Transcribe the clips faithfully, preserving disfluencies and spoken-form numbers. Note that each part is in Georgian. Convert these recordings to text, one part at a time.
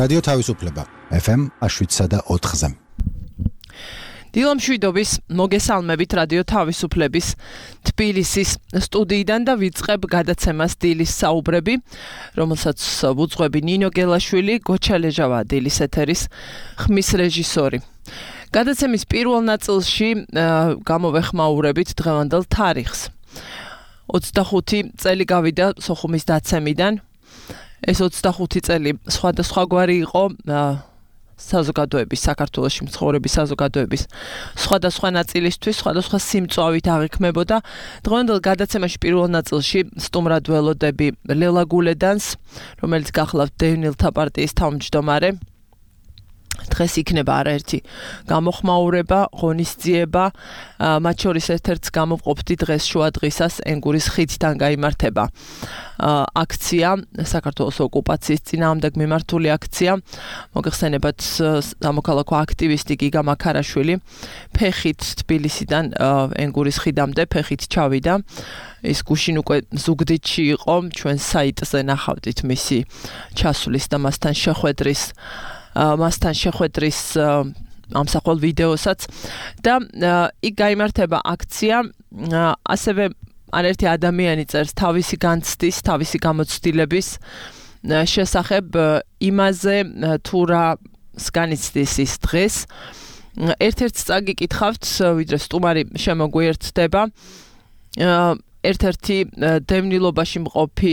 რადიო თავისუფლება ეფ ემ შვიდსა და ოთხზე. დილამ შვიდობის მოგესალმებით რადიო თავისუფლების თბილისის სტუდიიდან და ვიწყებ გადაცემას დილის საუბრები, რომელსაც ვუძღვები ნინო გელაშვილი, გოჩა ლეჟავა დილის ეთერის ხმის რეჟისორი. გადაცემის პირველ ნაწილში გამოვეხმაურებით დღევანდელ თარიღს. ოცდახუთი წელი გავიდა სოხუმის დაცემიდან. ეს ოცდახუთი წელი სხვადასხვაგვარი იყო საზოგადოების, საქართველოში მცხოვრების საზოგადოების სხვადასხვა ნაწილისთვის, სხვადასხვა სიმწვავით აღიქმებოდა. დღევანდელ გადაცემაში პირველ ნაწილში სტუმრად ველოდები ლელა გულედანს, რომელიც გახლავთ დევნილთა პარტიის თავმჯდომარე. დღეს იქნება არაერთი გამოხმაურება, ღონისძიება, მათ შორის ერთ-ერთს გამოვყოფდი დღეს შუადღისას ენგურის ხიდთან გაიმართება აქცია, საქართველოს ოკუპაციის წინააღმდეგ მიმართული აქცია. მოგეხსენებათ სამოქალაქო აქტივისტი გიგა მაქარაშვილი ფეხით თბილისიდან ენგურის ხიდამდე ფეხით ჩავიდა. ის გუშინ უკვე ზუგდიდში იყო, ჩვენ საიტზე ნახავდით მისი ჩასვლის და მასთან შეხვედრის მასთან შეხვედრის ამსახველ ვიდეოსაც და იქ გაიმართება აქცია. ასევე არაერთი ადამიანი წერს თავისი განცდის, თავისი გამოცდილების შესახებ იმაზე თუ რა განიცდის ის დღეს. ერთ-ერთს წაგიკითხავთ, ვიდრე სტუმარი შემოგვიერთდება. ერთ-ერთი დევნილობაში მყოფი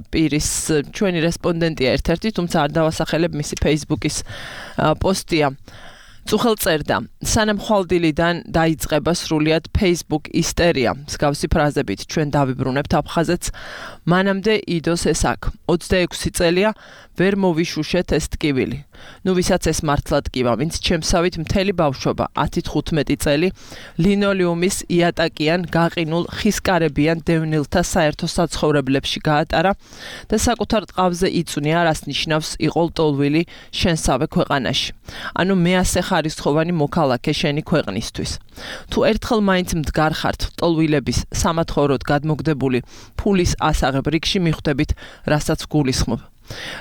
პირის ჩვენი რესპონდენტია ერთ-ერთი, თუმცა არ დავასახელებ, მისი Facebook-ის პოსტია. წუხელ წერდა, სანამ ხვალდილიდან დაიწყება სრულიად Facebook ისტერია. მსგავსი ფრაზებით ჩვენ დავიბრუნებთ აფხაზეთს, მანამდე იდოს ეს აქ. ოცდაექვსი წელია ვერ მოვიშუშეთ ეს ტკივილი. ნუ ვისაც ეს მართლა ტკივა, ვინც ჩემსავით მთელი ბავშვობა, ათი თხუთმეტი წელი ლინოლიუმის იატაკიან, გაყინულ, ხისკარებიან დევნილთა საერთო საცხოვრებლებში გაატარა და საკუთარ ტყავზე იწვნია, რას ნიშნავს იყოლტოლვილი შენსავე ქვეყანაში. ანუ მეასე ხარისხოვანი მოქალაქე შენი ქვეყნისთვის. თუ ერთხელ მაინც მდგარ ხართ ტოლვილების სამათხოვროდ გადმოგდებული ფულის ასაღებ რიგში მიხვდებით, რასაც გულისხმობ.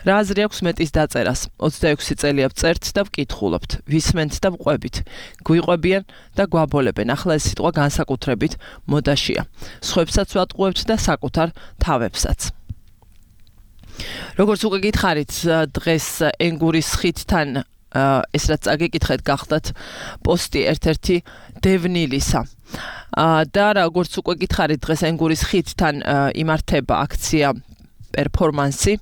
რა აზრი აქვს მეტის დაწერას? ოცდაექვსი წელია ვწერთ და ვკითხულობთ, ვისმენთ და ვყვებით, გვიყვებიან და გვაბოლებენ. ახლა ეს სიტყვა განსაკუთრებით მოდაშია. სხვებსაც ვატყუებთ და საკუთარ თავებსაც. როგორც უკვე გითხარით, დღეს ენგურის ხიდთან ეს რაც წაგიკითხეთ გახდათ პოსტი ერთ-ერთი დევნილისა. და როგორც უკვე გითხარით, დღეს ენგურის ხიდთან იმართება აქცია პერფორმანსი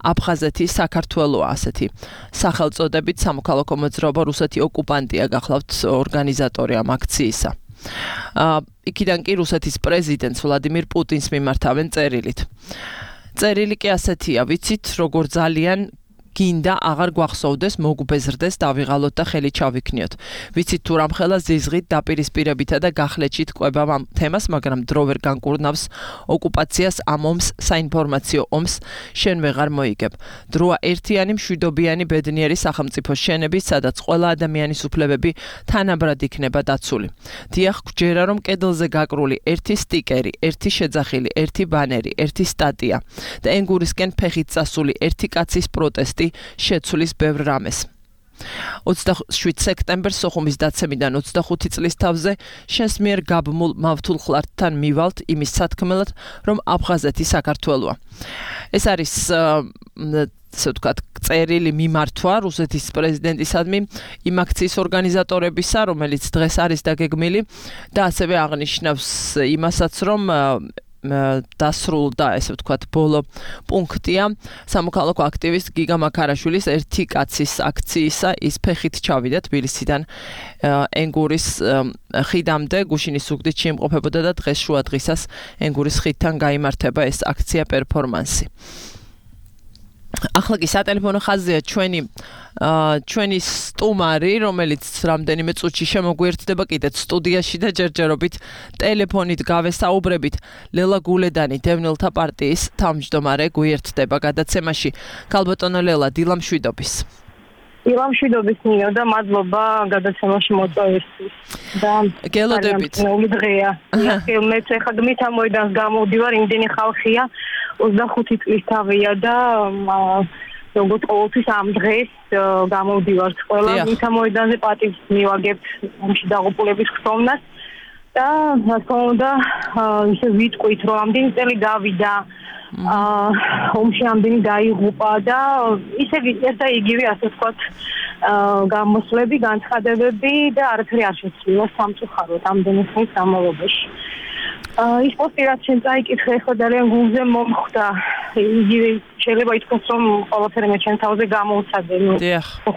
აფხაზეთი საქართველოა ასეთი სახელწოდებით სამოქალაქო მოძრაობა რუსეთი ოკუპანტია გახლავთ ორგანიზატორი ამ აქციისა. იქიდან კი რუსეთის პრეზიდენტს ვლადიმირ პუტინს მიმართავენ წერილით. წერილი კი ასეთია, ვიცით როგორ ძალიან გინდა აღარ გვახსოვდეს, მოგუბეზრდეს, დავიღალოთ და ხელი ჩავიქნიოთ. ვიცით თუ რამხელა ზიზღით დაპირისპირებითა და გახლეჩით ყვებავ ამ თემას, მაგრამ დრო ვერ განკურნავს ოკუპაციას, ამ ომს, საინფორმაციო ომს შენ ვეღარ მოიგებ. დროა ერთიანი მშვიდობიანი ბედნიერი სახელმწიფოს შენების, სადაც ყველა ადამიანის უფლებები თანაბრად იქნება დაცული. დიახ, გჯერა რომ კედელზე გაკრული ერთი სტიკერი, ერთი შეძახილი, ერთი ბანერი, ერთი სტატია და ენგურისკენ ფეხით წასული ერთი კაცის პროტესტი შეცვლის ბევრ რამეს. ოცდაშვიდ სექტემბერს სოხუმის დაცემიდან ოცდახუთი წლის თავზე შენს მიერ გაბმულ მავთულ ხლართთან მივალთ იმის სათქმელად, რომ აფხაზეთი საქართველოა. ეს არის ასე ვთქვათ, წერილი მიმართვა რუსეთის პრეზიდენტისადმი იმ აქციის ორგანიზატორებისა, რომელიც დღეს არის დაგეგმილი და ასევე აღნიშნავს იმასაც, რომ დასრულდა, ესე ვთქვათ, ბოლო პუნქტია სამოქალაქო აქტივისტ გიგა მაქარაშვილის ერთი კაცის აქციისა. ის ფეხით ჩავიდა თბილისიდან ენგურის ხიდამდე, გუშინის ზუგდიდში იმყოფებოდა და დღეს შუადღისას ენგურის ხიდთან გაიმართება ეს აქცია პერფორმანსი. ახლა კი სატელეფონო ხაზია ჩვენი ჩვენი სტუმარი, რომელიც რამდენიმე წუთში შემოგვიერთდება კიდეც სტუდიაში და ჯერჯერობით ტელეფონით გავესაუბრებით. ლელა გულედანი, დევნილთა პარტიის თავმჯდომარე, გვიერთდება გადაცემაში. ქალბატონო ლელა, დილა მშვიდობის. დილა მშვიდობის ნინო და მადლობა გადაცემაში მოწვევისთვის. და გელოდებით. ნული დღეა. მეც ახლა გმით ამოიდანს გამოვდივარ, იმდენი ხალხია, ოცდახუთი წლის თავია და როგორც ყოველთვის ამ დღეს გამოვდივართ ყველა მთა მოედანზე პატივს მივაგებთ ამში დაღუპულების ხსოვნას და რა თქმა უნდა ისე ვიტყვით რომ ამდენი წელი გავიდა აა ომში ამდენი დაიღუპა და ისე ერთ და იგივე ასე ვთქვათ გამოსვლები, განცხადებები და არაფერი არ შეცვლილა სამწუხაროდ ამდენი ხნის განმავლობაში. ის პოსტი რაც შენ წაიკითხე ხო ძალიან გულზე მომხვდა. იგივე შეიძლება ითქვას რომ ყველაფერი მე ჩემ თავზე გამოვცადე. ნუ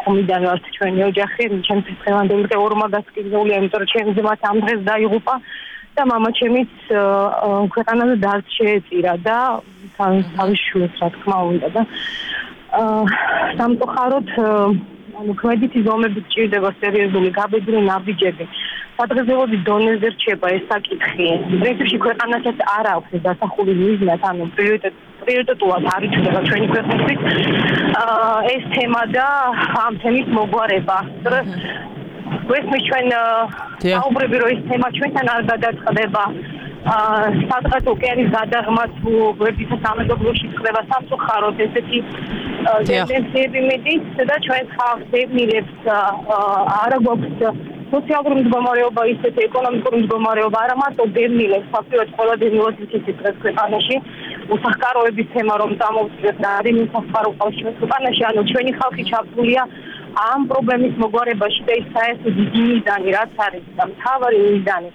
ხომიდან ვართ ჩვენი ოჯახი, ჩემ დღევანდელი ორმა გასკიდულია, იმიტომ რომ ჩემი ძმაც ამ დღეს დაიღუპა და მამა ჩემიც ქვეყანაზე დარც შეეწირა და თავის შვილს რა თქმა უნდა და სამწუხაროდ ანუ ქმედითი ზომებით ჭირდება სერიოზული გაბედული ნაბიჯები. სადღეგრძელოდი დონეზე რჩება ეს საკითხი. პრინციპში ქვეყანასაც არ აქვს დასახული მიზნად, ანუ პრიორიტეტულად არ ითვლება ჩვენი ქვეყნისთვის ეს თემა და ამ თემის მოგვარება. გვესმის ჩვენ საუბრები რომ ეს თემა ჩვენთან არ გადაწყდება. სადღაც ოკეანის გადაღმაც გვერდით სამეზობლოში ხდება სამწუხაროდ ესეთი ტენდენციები მიდის და ჩვენ ხალხს ებნილებს არ გვაქვს სოციალური მდგომარეობა ისეთი ეკონომიკური მდგომარეობა არა მარტო დევნილებს ფაქტობრივად ყველა დევნილად იქნება დღეს ქვეყანაში უსახკაროების თემა რომ წამოვწიოთ და არის უსახკარო ყავს ჩვენ ქვეყანაში ანუ ჩვენი ხალხი ჩაბმულია ამ პრობლემის მოგვარებაში და ის საერთოდ დიდი მიზანი რაც არის და მთავარი მიზანი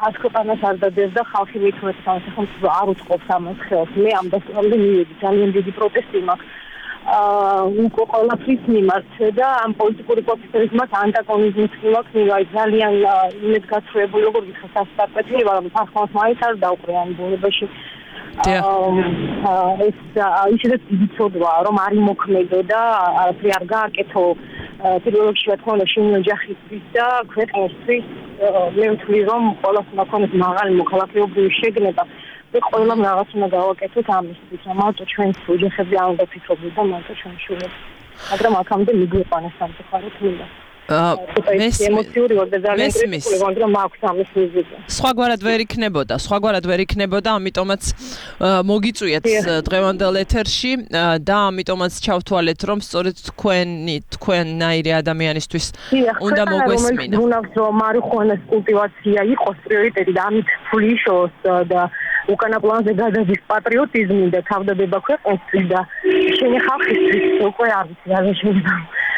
ას ქვეყანას არ დადეს და ხალხი მithmet სახელმწიფო არ უწყობს ამას ხელს. მე ამ დასწრამდე მივედი ძალიან დიდი პროტესტი მაქვს აა უკო ყველაფრის მიმართ და ამ პოლიტიკური პროცესების მიმართ ანტაგონიზმის მიმართ მივაი ძალიან იმედგაცრუებული როგორ გითხრათ სასწრაფოა რომ ფახმას მაინც არ დაუყრე ამ ბუნებაში აა ეს ისედაც იცოდვა რომ არ იმოქმედო და არაფერი არ გააკეთო პირველ რიგში რა თქმა უნდა შენი ოჯახისთვის და ქვეყნისთვის მე ვთვლი რომ ყველას უნდა ქონდეს მაღალი მოქალაქეობრივი შეგნება და ყველამ რაღაც უნდა გავაკეთოთ ამისთვის რომ მარტო ჩვენს ოჯახებზე არ უნდა ფიქრობდეთ და მარტო ჩვენ შვილებს მაგრამ აქამდე მიგვიყვანეს სამწუხაროდ მინდა ემოციური ვარ და ძალიან კრიტიკული ვარ რომ მაქვს ამის მიზეზი. სხვაგვარად ვერ იქნებოდა, სხვაგვარად ვერ იქნებოდა, ამიტომაც მოგიწვიეთ დღევანდელ ეთერში და ამიტომაც ჩავთვალეთ რომ სწორედ თქვენი თქვენნაირი ადამიანისთვის უნდა მოგვესმინა. უნავს რომ მარიხუანას კულტივაცია იყოს პრიორიტეტი და ამით ფლიშოს და უკანა პლანზე გადადის პატრიოტიზმი და თავდადება ქვეყნისთვის და შენი ხალხისთვის უკვე არ ვიცი რა შეიძლება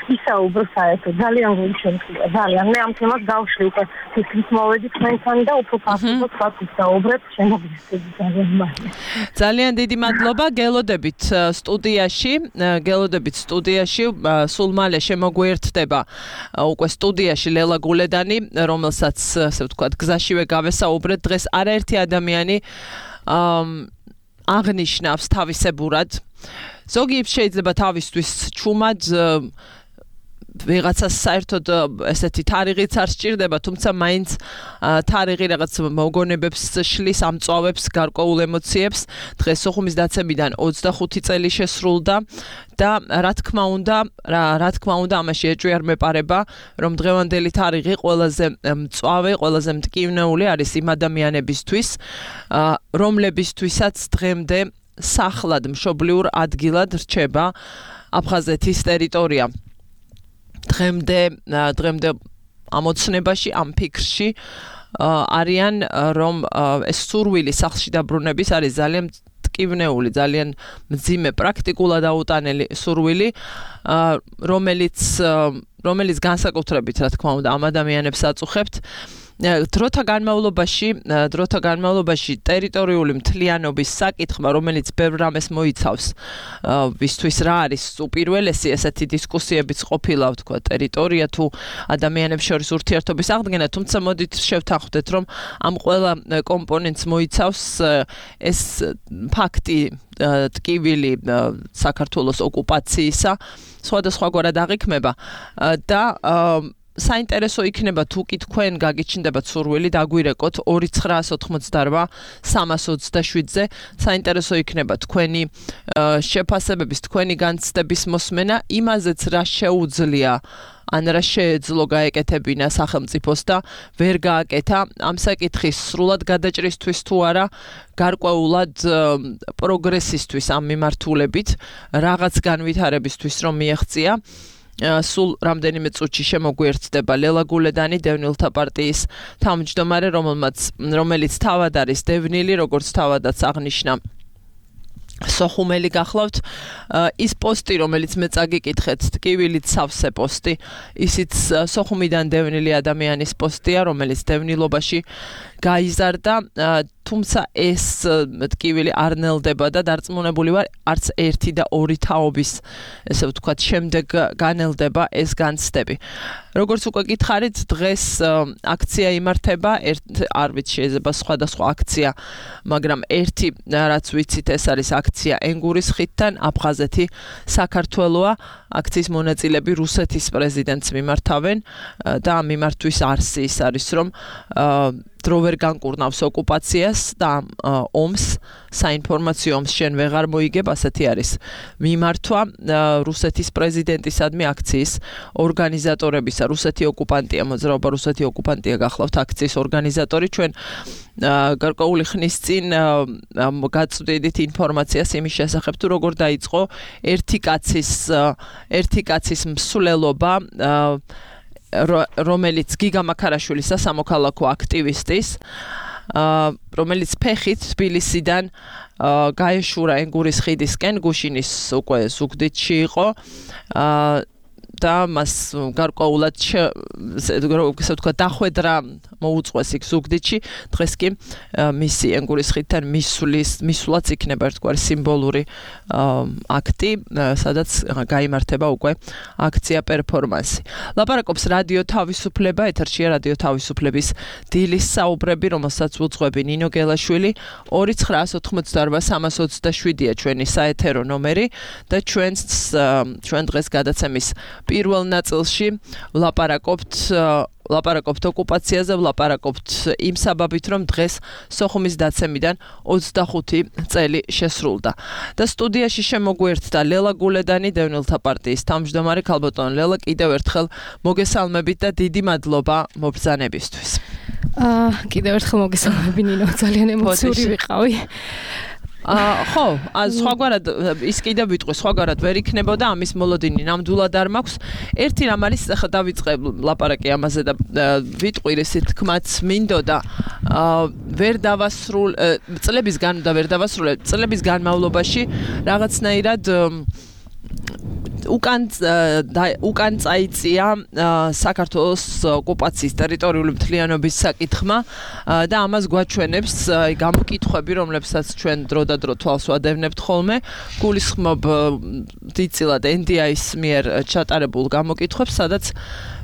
ისაუბრო საერთოდ ძალიან გული შემთხვევა ძალიან მე ამ თემას გავშლი უკვე თითქმის მოვედი თქვენთან და უფრო ფასობად ვისაუბრებ შემოგვიწყდი ძალიან მალე ძალიან დიდი მადლობა გელოდებით სტუდიაში გელოდებით სტუდიაში სულ მალე შემოგვიერთდება უკვე სტუდიაში ლელა გულედანი რომელსაც ასე ვთქვათ გზაშივე გავესაუბრეთ დღეს არაერთი ადამიანი აღნიშნავს თავისებურად ზოგი შეიძლება თავისთვის ჩუმად ვიღაცას საერთოდ ესეთი თარიღიც არ სჭირდება, თუმცა მაინც თარიღი რაღაც მოგონებებს შლის, ამწვავებს გარკვეულ ემოციებს. დღეს სოხუმის დაცემიდან ოცდახუთი წელი შესრულდა და რა თქმა უნდა, რა, რა თქმა უნდა, ამაში ეჭვი არ მეპარება, რომ დღევანდელი თარიღი ყველაზე მწვავე, ყველაზე მტკივნეული არის იმ ადამიანებისთვის, რომლებისთვისაც დღემდე სახლად მშობლიურ ადგილად რჩება აფხაზეთის ტერიტორია. დღემდე დღემდე ამოცნებაში ამ ფიქრში არიან რომ ეს სურვილი სახლში დაბრუნების არის ძალიან მტკივნეული, ძალიან მძიმე პრაქტიკულად აუტანელი სურვილი, რომელიც რომელიც განსაკუთრებით რა თქმა უნდა ამ ადამიანებს აწუხებთ. დროთა განმავლობაში, დროთა განმავლობაში ტერიტორიული მთლიანობის საკითხმა, რომელიც ბევრ რამეს მოიცავს, ვისთვის რა არის უპირველესი ესეთი დისკუსიებიც ყოფილა, ვთქვა, ტერიტორია თუ ადამიანებს შორის ურთიერთობის აღდგენა, თუმცა მოდით შევთანხმდეთ, რომ ამ ყველა კომპონენტს მოიცავს ეს ფაქტი ტკივილი საქართველოს ოკუპაციისა, სხვადასხვაგვარად აღიქმება და საინტერესო იქნება თუ კი თქვენ გაგიჩნდებათ სურვილი დაგვირეკოთ ორი ცხრაას ოთხმოცდარვა სამას ოცდაშვიდზე საინტერესო იქნება თქვენი შეფასებების თქვენი განცდების მოსმენა იმაზეც რა შეუძლია ან რა შეეძლო გაეკეთებინა სახელმწიფოს და ვერ გააკეთა ამ საკითხის სრულად გადაჭრისთვის თუ არა გარკვეულად პროგრესისთვის ამ მიმართულებით რაღაც განვითარებისთვის რომ მიაღწია სულ რამდენიმე წუთში შემოგვიერთდება ლელა გულედანი დევნილთა პარტიის თავმჯდომარე რომელმაც რომელიც თავად არის დევნილი როგორც თავადაც აღნიშნა სოხუმელი გახლავთ ის პოსტი რომელიც მე წაგიკითხეთ ტკივილით სავსე პოსტი ისიც სოხუმიდან დევნილი ადამიანის პოსტია რომელიც დევნილობაში გაიზარდა თუმცა ეს ტკივილი არ ნელდება და დარწმუნებული ვარ არც ერთი და ორი თაობის ესე ვთქვათ შემდეგ განელდება ეს განცდები როგორც უკვე გითხარით დღეს აქცია იმართება არ ვიცი შეიძლება სხვადასხვა აქცია მაგრამ ერთი რაც ვიცით ეს არის აქცია ენგურის ხიდთან აფხაზეთი საქართველოა აქციის მონაწილეები რუსეთის პრეზიდენტს მიმართავენ და ამ მიმართვის არსი ის არის რომ დრო ვერ განკურნავს ოკუპაციას და ომს საინფორმაციო ომს შენ ვეღარ მოიგებ ასეთი არის მიმართვა რუსეთის პრეზიდენტისადმი აქციის ორგანიზატორებისა რუსეთი ოკუპანტია მოძრაობა რუსეთი ოკუპანტია გახლავთ აქციის ორგანიზატორი ჩვენ გარკვეული ხნის წინ გაწვდით ინფორმაციას იმის შესახებ თუ როგორ დაიწყო ერთი კაცის ერთი კაცის მსვლელობა რომელიც გიგა მაქარაშვილისა სამოქალაქო აქტივისტის რომელიც ფეხით თბილისიდან გაეშურა ენგურის ხიდისკენ გუშინის უკვე ზუგდიდში იყო და მას გარკვეულად ესე ვთქვა დახვედრა მოუწყვეს იქ ზუგდიდში დღეს კი მისი ენგურის ხიდთან მისვლის მისვლაც იქნება ერთგვარი სიმბოლური აქტი სადაც გაიმართება უკვე აქცია პერფორმანსი ლაპარაკობს რადიო თავისუფლება ეთერშია რადიო თავისუფლების დილის საუბრები რომელსაც უძღვები ნინო გელაშვილი ორი ცხრაას ოთხმოცდაარვა სამას ოცდაშვიდია ჩვენი საეთერო ნომერი და ჩვენს ჩვენ დღეს გადაცემის პირველ ნაწილში ვლაპარაკობთ ვლაპარაკობთ ოკუპაციაზე, ვლაპარაკობთ იმ საბაბით, რომ დღეს სოხუმის დაცემიდან ოცდახუთი წელი შესრულდა. და სტუდიაში შემოგვიერთდა ლელა გულედანი, დევნილთა პარტიის თავმჯდომარე ქალბატონ ლელა, კიდევ ერთხელ მოგესალმებით და დიდი მადლობა მობრძანებისთვის. აა კიდევ ერთხელ მოგესალმები ნინო, ძალიან ემოციური ვიყავი. აა ხო, სხვაგვარად ის კიდევ ვიტყვი, სხვაგვარად ვერ იქნებოდა ამის მოლოდინი ნამდვილად არ მაქვს. ერთი რამ არის, ახლა დავიწყე ლაპარაკი ამაზე და ვიტყვი ისეთ თქმაც მინდოდა, აა ვერ დავასრულ წლების გან და ვერ დავასრულე წლების განმავლობაში რაღაცნაირად უკან უკან წაიწია საქართველოს ოკუპაციის ტერიტორიული მთლიანობის საკითხმა და ამას გვაჩვენებს გამოკითხვები, რომლებსაც ჩვენ დრო და დრო თვალს ვადევნებთ ხოლმე. გულისხმობ დიდწილად ენ დი აის მიერ ჩატარებულ გამოკითხვებს, სადაც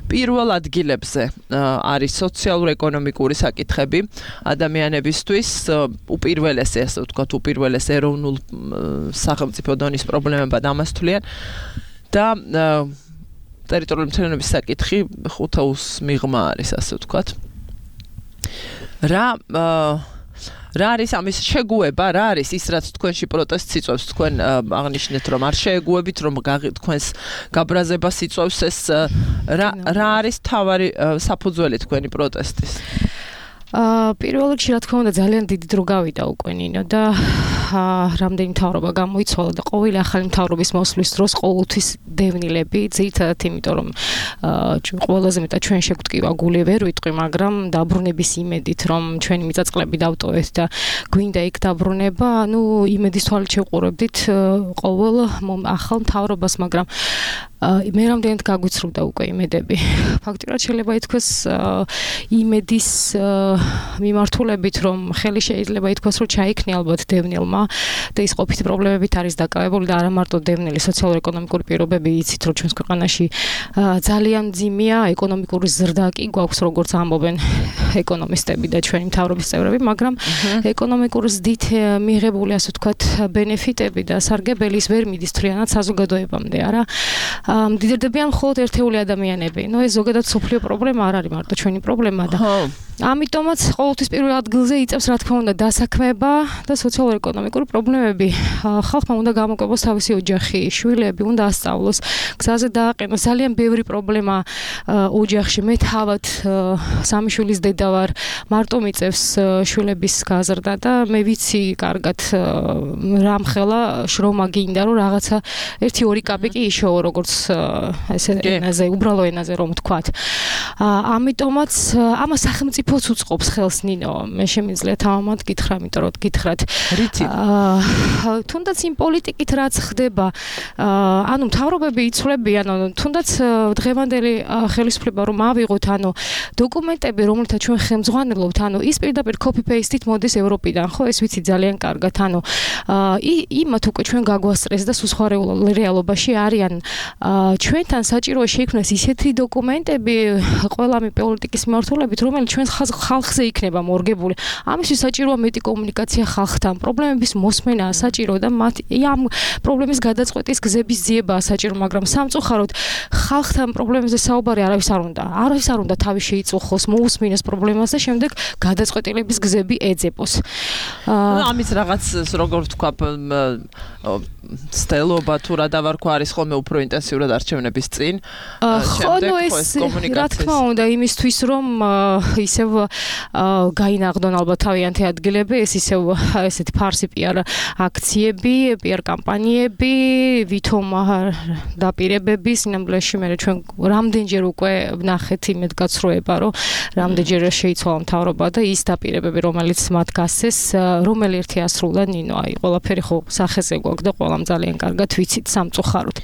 პირველ ადგილებზე არის სოციალურ-ეკონომიკური საკითხები ადამიანებისთვის, უპირველესი, ასე ვთქვათ, უპირველეს ეროვნულ სახელმწიფო დონის პრობლემებად ამას თვლიან. და ტერიტორიული მთლიანობის საკითხი ხუთაუს მიღმა არის, ასე ვთქვათ. რა რა არის ამის შეგუება, რა არის ის, რაც თქვენში პროტესტს იწვევს, თქვენ აღნიშნეთ, რომ არ შეეგუებით, რომ თქვენს გაბრაზებას იწვევს ეს, რა რა არის თავარი საფუძველი თქვენი პროტესტის? აა პირველ რიგში რა თქმა უნდა ძალიან დიდი დრო გავიდა უკვე ნინო და რამდენი მთავრობა გამოიცვალა და ყოველი ახალი მთავრობის მოსვლის დროს ყოველთვის დევნილები ძირითადად იმიტომ რომ ჩვენ ყველაზე მეტად ჩვენ შეგვტკივა გული ვერ ვიტყვი მაგრამ დაბრუნების იმედით რომ ჩვენი მიწაწყლები დავტოვეთ და გვინდა იქ დაბრუნება ანუ იმედის თვალით შევყურებდით ყოველ ახალ მთავრობას მაგრამ მე რამდენად გაგვიცრუდა უკვე იმედები ფაქტიურად შეიძლება ითქვას იმედის მიმართულებით რომ ხელი შეიძლება ითქვას რომ ჩაიქნია ალბათ დევნილმა და ის ყოფითი პრობლემებით არის დაკავებული და არა მარტო დევნილი სოციალურ-ეკონომიკური პირობები იცით რომ ჩვენს ქვეყანაში ძალიან მძიმეა ეკონომიკური ზრდა კი გვაქვს როგორც ამბობენ ეკონომისტები და ჩვენი მთავრობის წევრები მაგრამ ეკონომიკური ზრდით მიღებული ასე ვთქვათ ბენეფიტები და სარგებელი ის ვერ მიდის თლიანად საზოგადოებამდე არა მდიდრდებიან მხოლოდ ერთეული ადამიანები ნუ ეს ზოგადად სოფლიო პრობლემა არ არის მარტო ჩვენი პრობლემა და ამიტომაც ყოველთვის პირველ ადგილზე იწევს რა თქმა უნდა დასაქმება და სოციალურ-ეკონომიკური პრობლემები ხალხმა უნდა გამოკვებოს თავისი ოჯახი შვილები უნდა ასწავლოს გზაზე დააყენოს ძალიან ბევრი პრობლემა ოჯახში მე თავად სამი შვილის დედა ვარ მარტო მიწევს შვილების გაზრდა და მე ვიცი კარგად რამხელა შრომა გინდა რომ რაღაცა ერთი ორი კაპი კი იშოვო როგორც ესე ენაზე უბრალო ენაზე რომ ვთქვათ ამიტომაც ამას სახელმწიფოც უწყობს ხელს ნინო მე შემიძლია თავად გითხრა იმიტომ რომ გითხრათ თუნდაც იმ პოლიტიკით რაც ხდება ანუ მთავრობები იცვლებიან თუნდაც დღევანდელი ხელისუფლება რომ ავიღოთ ანუ დოკუმენტები რომელთა ჩვენ ხელმძღვანელობთ ანუ ის პირდაპირ copy paste-ით მოდის ევროპიდან ხო ეს ვიცი ძალიან კარგად ანუ იმათ უკვე ჩვენ გაგვასწრეს და სულ სხვა რეალობაში არიან ჩვენთან საჭიროა შეიქმნას ისეთი დოკუმენტები ყველა მე პოლიტიკის მიმართულებით რომელიც ჩვენს ხალხზე იქნება მორგებული ამისთვის საჭიროა მეტი კომუნიკაცია ხალხთან პრობლემების მოსმენაა საჭირო და მათ ამ პრობლემის გადაწყვეტის გზების ძიებაა საჭირო მაგრამ სამწუხაროდ ხალხთან პრობლემებზე საუბარი არავის არ უნდა არავის არ უნდა თავი შეიწუხოს მოусმინოს პრობლემას და შემდეგ გადაწყვეტილების გზები ეძებოს ამის რაღაც როგორ ვთქვა სტელობა თუ რა დავარქვა არის ხოლმე უფრო ინტენსიურად არჩევნების წინ შემდეგ ეს რა თქმა უნდა იმისთვის რომ ისევ გაინაღდონ ალბათ თავიანთი ადგილები ეს ისევ ესეთი ფარსი პიარ აქციები პიარ კამპანიები ვითომ დაპირებები სინამდვილეში მე ჩვენ რამდენჯერ უკვე ვნახეთ იმედ გაცრუება რომ რამდენჯერ შეიცვალა მთავრობა და ის დაპირებები რომელიც მათ გასცეს რომელი ერთი ასრულა ნინო აი ყველაფერი ხო სახეზე გვაქვს და ყველამ ძალიან კარგად ვიცით სამწუხაროდ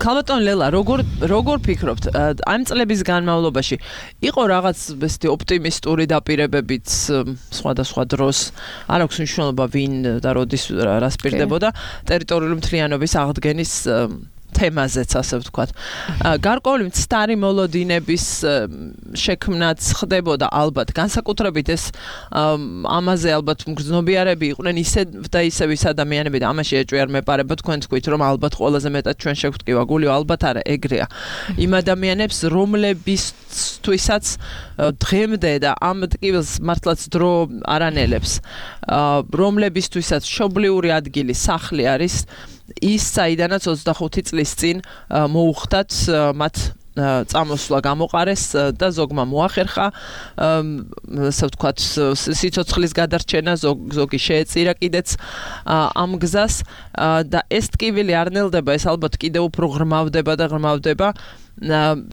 ქალბატონ ლელა როგორ როგორ ფიქრობთ ამ წლების განმავლობაში იყო რაღაც ესეთი ოპტიმისტური დაპირებებიც სხვადასხვა დროს არ აქვს მნიშვნელობა ვინ და როდის რას პირდებოდა ტერიტორიული მთლიანობის აღდგენის თემაზეც ასე ვთქვათ. გარკვეული მცდარი მოლოდინების შექმნაც ხდებოდა ალბათ. განსაკუთრებით ეს ამაზე ალბათ მგრძნობიარები იყვნენ ისე და ისე ვის ადამიანები და ამაში ეჭვიარ მეპარება თქვენ თქვით რომ ალბათ ყველაზე მეტად ჩვენ შევტკივა გულიო ალბათ არა ეგრეა. იმ ადამიანებს რომლებისთვისაც დღემდე და ამ ტკივილს მართლაც დრო არანელებს. რომლებისთვისაც მშობლიური ადგილი სახლი არის ის საიდანაც ოცდახუთი წლის წინ მოუხდათ მათ წამოსვლა გამოყარეს და ზოგმა მოახერხა ასე ვთქვათ სიცოცხლის გადარჩენა ზოგი შეეწირა კიდეც ამ გზას და ეს ტკივილი არ ნელდება ეს ალბათ კიდევ უფრო ღრმავდება და ღრმავდება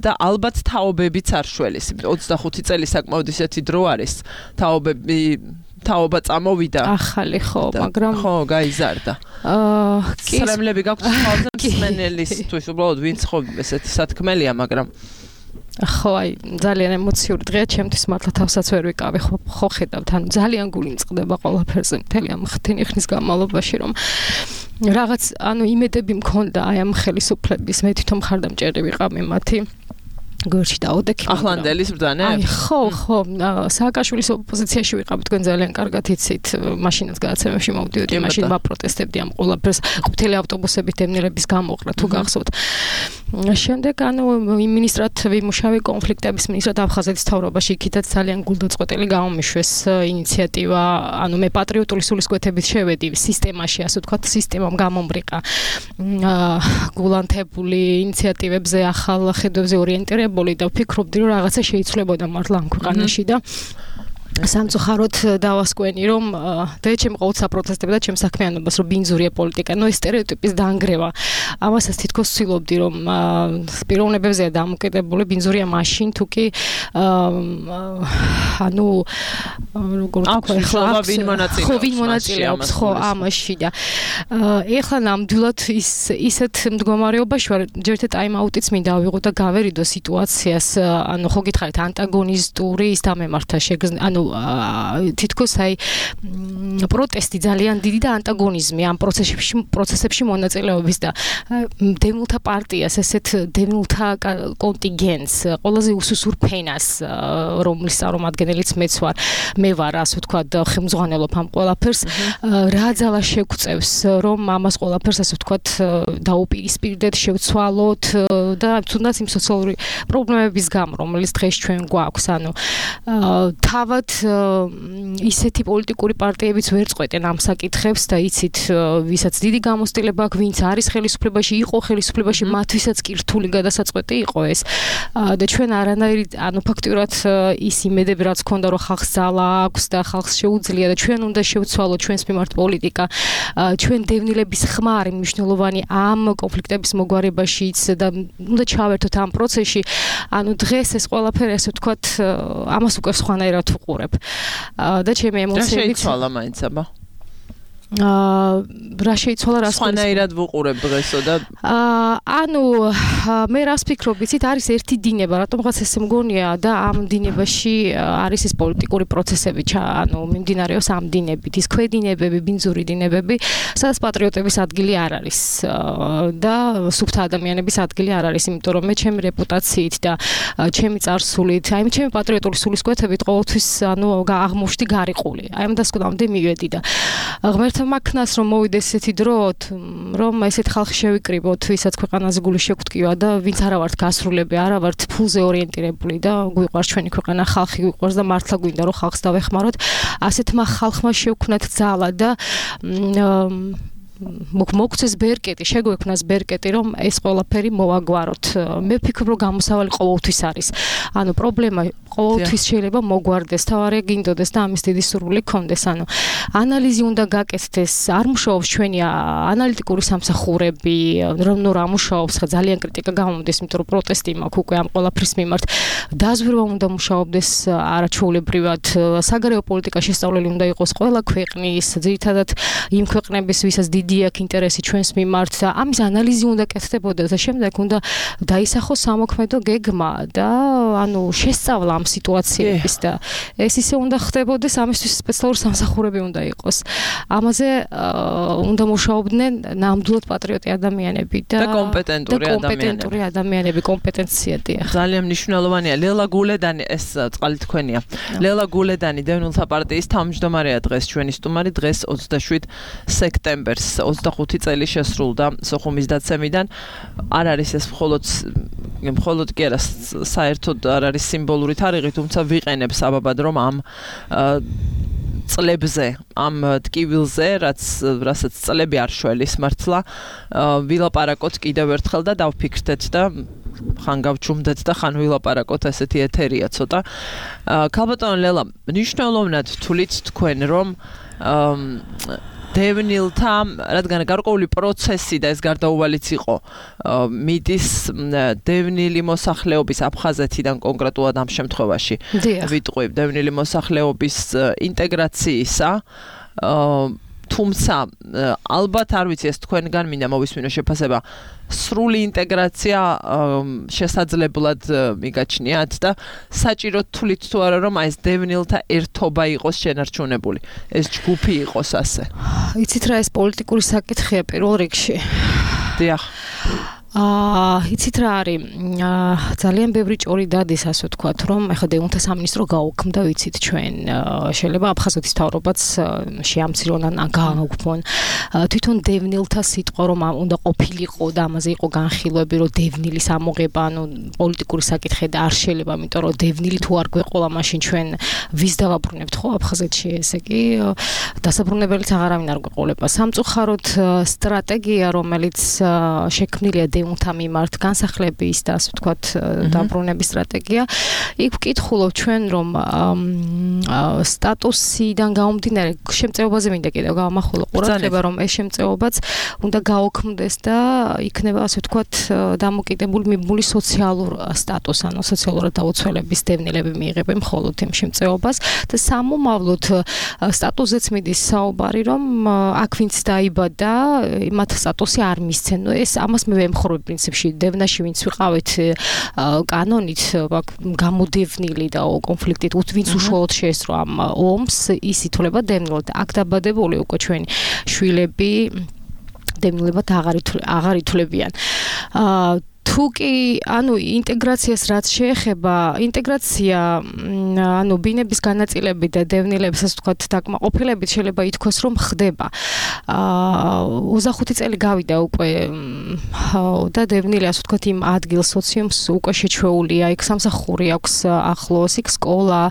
და ალბათ თაობებიც არ შველის ოცდახუთი წელი საკმაოდ ისეთი დრო არის თაობები თაობა წამოვიდა ახალი ხო მაგრამ ხო გაიზარდა აა სრემლები გაქვთ ხოლმე მსმენელისთვის უბრალოდ ვინც ხო ესეთი სათქმელია მაგრამ ხო აი ძალიან ემოციური დღეა ჩემთვის მართლა თავსაც ვერ ვიკავი ხო ხო ხედავთ ანუ ძალიან გული მწყდება ყველაფერზე მთელი ამ ხთენი ხნის განმავლობაში რომ რაღაც ანუ იმედები მქონდა აი ამ ხელისუფლების მე თვითონ მხარდამჭერი ვიყავი მათი გორში დაოდექი ახლანდელის ბრძანე აი ხო ხო სააკაშვილის ოპოზიციაში ვიყავით თქვენ ძალიან კარგად იცით მაშინაც გადაცემებში მოვდიოდი მაშინ ვაპროტესტებდი ამ ყველაფერს ყვითელი ავტობუსებით დევნილების გამოყრა თუ გახსოვთ შემდეგ ანუ მინისტრად ვიმუშავე კონფლიქტების მინისტრად აფხაზეთის მთავრობაში იქითაც ძალიან გულდაწყვეტილი გამომიშვეს ინიციატივა ანუ მე პატრიოტული სულისკვეთებით შევედი სისტემაში ასე ვთქვათ სისტემამ გამომბრიყა გულანთებული ინიციატივებზე ახალ ხედვებზე ორიენტირებული და ვფიქრობდი რომ რაღაცა შეიცვლებოდა მართლა ამ ქვეყანაში და სამწუხაროდ დავასკვენი რომ და ჩემ ყოველ საპროტესტებდა ჩემ საქმიანობას რომ ბინძურია პოლიტიკა, ნუ ეს სტერეოტიპის დაანგრევა. ამასაც თითქოს ვცდილობდი რომ პიროვნებებზეა დამოკიდებული ბინძურია მაშინ თუ კი ანუ როგორ თქვა ახლა ვინ მონაწილეობს ხო ვინ მონაწილეობს ხო ამაში და ეხლა ნამდვილად ის ისეთ მდგომარეობაში ვარ ჯერთ ტაიმ-აუტიც მინდა ავიღო და გავერიდო სიტუაციას ანუ ხო გითხარით ანტაგონისტური ის დამემართა შეგზ ანუ თითქოს აი პროტესტი ძალიან დიდი და ანტაგონიზმი ამ პროცესებში პროცესებში მონაწილეობის და დევნილთა პარტიას ესეთ დევნილთა კონტინგენტს ყველაზე უსუსურ ფენას რომლის წარმომადგენელიც მეც ვარ მე ვარ ასე ვთქვათ ხელმძღვანელობ ამ ყველაფერს რა ძალა შეგვწევს რომ ამას ყველაფერს ასე ვთქვათ დაუპირისპირდეთ შევცვალოთ და თუნდაც იმ სოციალური პრობლემების გამო რომელიც დღეს ჩვენ გვაქვს ანუ თავად ისეთი პოლიტიკური პარტიებიც ვერ წყვეტენ ამ საკითხებს და იცით ვისაც დიდი გამოცდილება აქვს ვინც არის ხელისუფლებაში იყო ხელისუფლებაში მათვისაც კი რთული გადასაწყვეტი იყო ეს და ჩვენ არანაირი ანუ ფაქტურად ის იმედები რაც ქონდა რომ ხალხს ძალა აქვს და ხალხს შეუძლია და ჩვენ უნდა შევცვალოთ ჩვენს მიმართ პოლიტიკა ჩვენ დევნილების ხმარი მნიშვნელოვანი ამ კონფლიქტების მოგვარებაშიც და უნდა ჩავერთოთ ამ პროცესში ანუ დღეს ეს ყველაფერი ასე ვთქვათ ამას უკვე სხვანაირად ვუყურებ და ჩემი ემოციები შეიცვალა მაინც აბა აა რა შეიცვალა რას სხვანაირად ვუყურებ დღესო და ანუ მე რას ვფიქრობ იცით არის ერთი დინება რატომღაც ესე მგონია და ამ დინებაში არის ეს პოლიტიკური პროცესები ანუ მიმდინარეობს ამ დინებით ის ქვედინებები ბინძური დინებები სადაც პატრიოტების ადგილი არ არის და სუფთა ადამიანების ადგილი არ არის იმიტომ რომ მე ჩემი რეპუტაციით და ჩემი წარსულით აი ჩემი პატრიოტული სულისკვეთებით ყოველთვის ანუ აღმოჩნდი გარიყული აი ამ დასკვნამდე მივედი და ღმერთმა მაქნას რომ მოვიდეს ესეთი დრო რომ ესეთ ხალხი შევიკრიბოთ ვისაც ქვეყანაზე გული შეგვტკივა და ვინც არა ვართ გასრულები არა ვართ ფულზე ორიენტირებული და გვიყვარს ჩვენი ქვეყანა ხალხი გვიყვარს და მართლა გვინდა რომ ხალხს დავეხმაროთ ასეთმა ხალხმა შევქნათ ძალა და მოგცეს ბერკეტი, შეგვექმნას ბერკეტი, რომ ეს ყველაფერი მოვაგვაროთ. მე ვფიქრობ, რომ გამოსავალი ყოველთვის არის. ანუ პრობლემა ყოველთვის შეიძლება მოგვარდეს, თავარი გინდოდეს და ამის დიდი სურვილი გქონდეს. ანუ ანალიზი უნდა გაკეთდეს, არ მუშაობს ჩვენი ანალიტიკური სამსახურები, რომ ნუ რა მუშაობს, ხა ძალიან კრიტიკა გამომდის, იმიტომ რომ პროტესტი მაქვს უკვე ამ ყველაფრის მიმართ. დაზვერვა უნდა მუშაობდეს არაჩვეულებრივად, საგარეო პოლიტიკა შესწავლილი უნდა იყოს ყველა ქვეყნის, ძირითადად იმ ქვეყნების, ვისაც დიდი აქ ინტერესი ჩვენს მიმართ და ამის ანალიზი უნდა კეთდებოდეს და შემდეგ უნდა დაისახოს სამოქმედო გეგმა და ანუ შესწავლა ამ სიტუაციების და ეს ისე უნდა ხდებოდეს ამისთვის სპეციალური სამსახურები უნდა იყოს. ამაზე უნდა მუშაობდნენ ნამდვილად პატრიოტი ადამიანები და კომპეტენტური ადამიანები. კომპეტენტური ადამიანები, კომპეტენცია დიახ. ძალიან მნიშვნელოვანია. ლელა გულედანი ეს წყალი თქვენია. ლელა გულედანი დევნილთა პარტიის თავმჯდომარეა დღეს ჩვენი სტუმარი დღეს ოცდაშვიდ სექტემბერს ოცდახუთი წელი შესრულდა სოხუმის დაცემიდან. არ არის ეს მხოლოდ მხოლოდ კი არა საერთოდ არ არის სიმბოლური თარიღი, თუმცა ვიყენებ საბაბად რომ ამ წლებზე, ამ ტკივილზე, რაც რასაც წლები არ შველის მართლა, ვილაპარაკოთ კიდევ ერთხელ და დავფიქრდეთ და ხან გავჩუმდეთ და ხან ვილაპარაკოთ, ესეთი ეთერია ცოტა. ქალბატონო ლელა, მნიშვნელოვნად თვლით თქვენ რომ დევნილთა, რადგან გარკვეული პროცესი და ეს გარდაუვალიც იყო, მიდის დევნილი მოსახლეობის აფხაზეთიდან კონკრეტულად ამ შემთხვევაში ვიტყვი დევნილი მოსახლეობის ინტეგრაციისა, თუმცა ალბათ არ ვიცი ეს თქვენგან მინდა მოვისმინო შეფასება სრული ინტეგრაცია შესაძლებლად მიგაჩნიათ და საჭირო თვლით თუ არა რომ ეს დევნილთა ერთობა იყოს შენარჩუნებული ეს ჯგუფი იყოს ასე იცით რა ეს პოლიტიკური საკითხია პირველ რიგში დიახ აა იცით რა არის ძალიან ბევრი ჭორი დადის ასე ვთქვათ რომ ეხლა დევნილთა სამინისტრო გაუქმდა ვიცით ჩვენ შეიძლება აფხაზეთის მთავრობაც შეამცირონ ან გააუქმონ თვითონ დევნილთა სიტყვა რომ უნდა ყოფილიყო და ამაზე იყო განხილვები რომ დევნილის ამოღება ანუ პოლიტიკური საკითხი და არ შეიძლება იმიტომ რომ დევნილი თუ არ გვეყოლა მაშინ ჩვენ ვის დავაბრუნებთ ხო აფხაზეთში ესე კი დასაბრუნებელიც აღარავინ არ გვეყოლება სამწუხაროდ სტრატეგია რომელიც შექმნილია დიუნთა მიმართ განსახლების და ასე ვთქვათ დაბრუნების სტრატეგია. იქ ვკითხულობ ჩვენ რომ სტატუსიდან გამომდინარე შემწეობაზე მინდა კიდევ გავამახვილო ყურადღება რომ ეს შემწეობაც უნდა გაოქმდეს და იქნება ასე ვთქვათ დამოკიდებული მიბმული სოციალურ სტატუს ანუ სოციალურად დაუცველების დევნილები მიიღებენ მხოლოდ იმ შემწეობას და სამომავლოდ სტატუსზეც მიდის საუბარი რომ აქ ვინც დაიბადა მათ სტატუსი არ მისცენ. ნუ ეს ამას მე ვემხრობ პრინციპში დევნაში ვინც ვიყავით კანონით გამოდევნილი და კონფლიქტით ვინც უშუალოდ შეესწრო ამ ომს ის ითვლება დევნილად. აქ დაბადებული უკვე ჩვენი შვილები დევნილებად აღარ ითვლებიან. აა თუ კი ანუ ინტეგრაციას რაც შეეხება ინტეგრაცია ანუ ბინების განაწილებით და დევნილების ასე ვთქვათ დაკმაყოფილებით შეიძლება ითქვას რომ ხდება. აა ოცდახუთი წელი გავიდა უკვე და დევნილი ასე ვთქვათ იმ ადგილ სოციუმს უკვე შეჩვეულია. იქ სამსახური აქვს ახლოს, იქ სკოლა.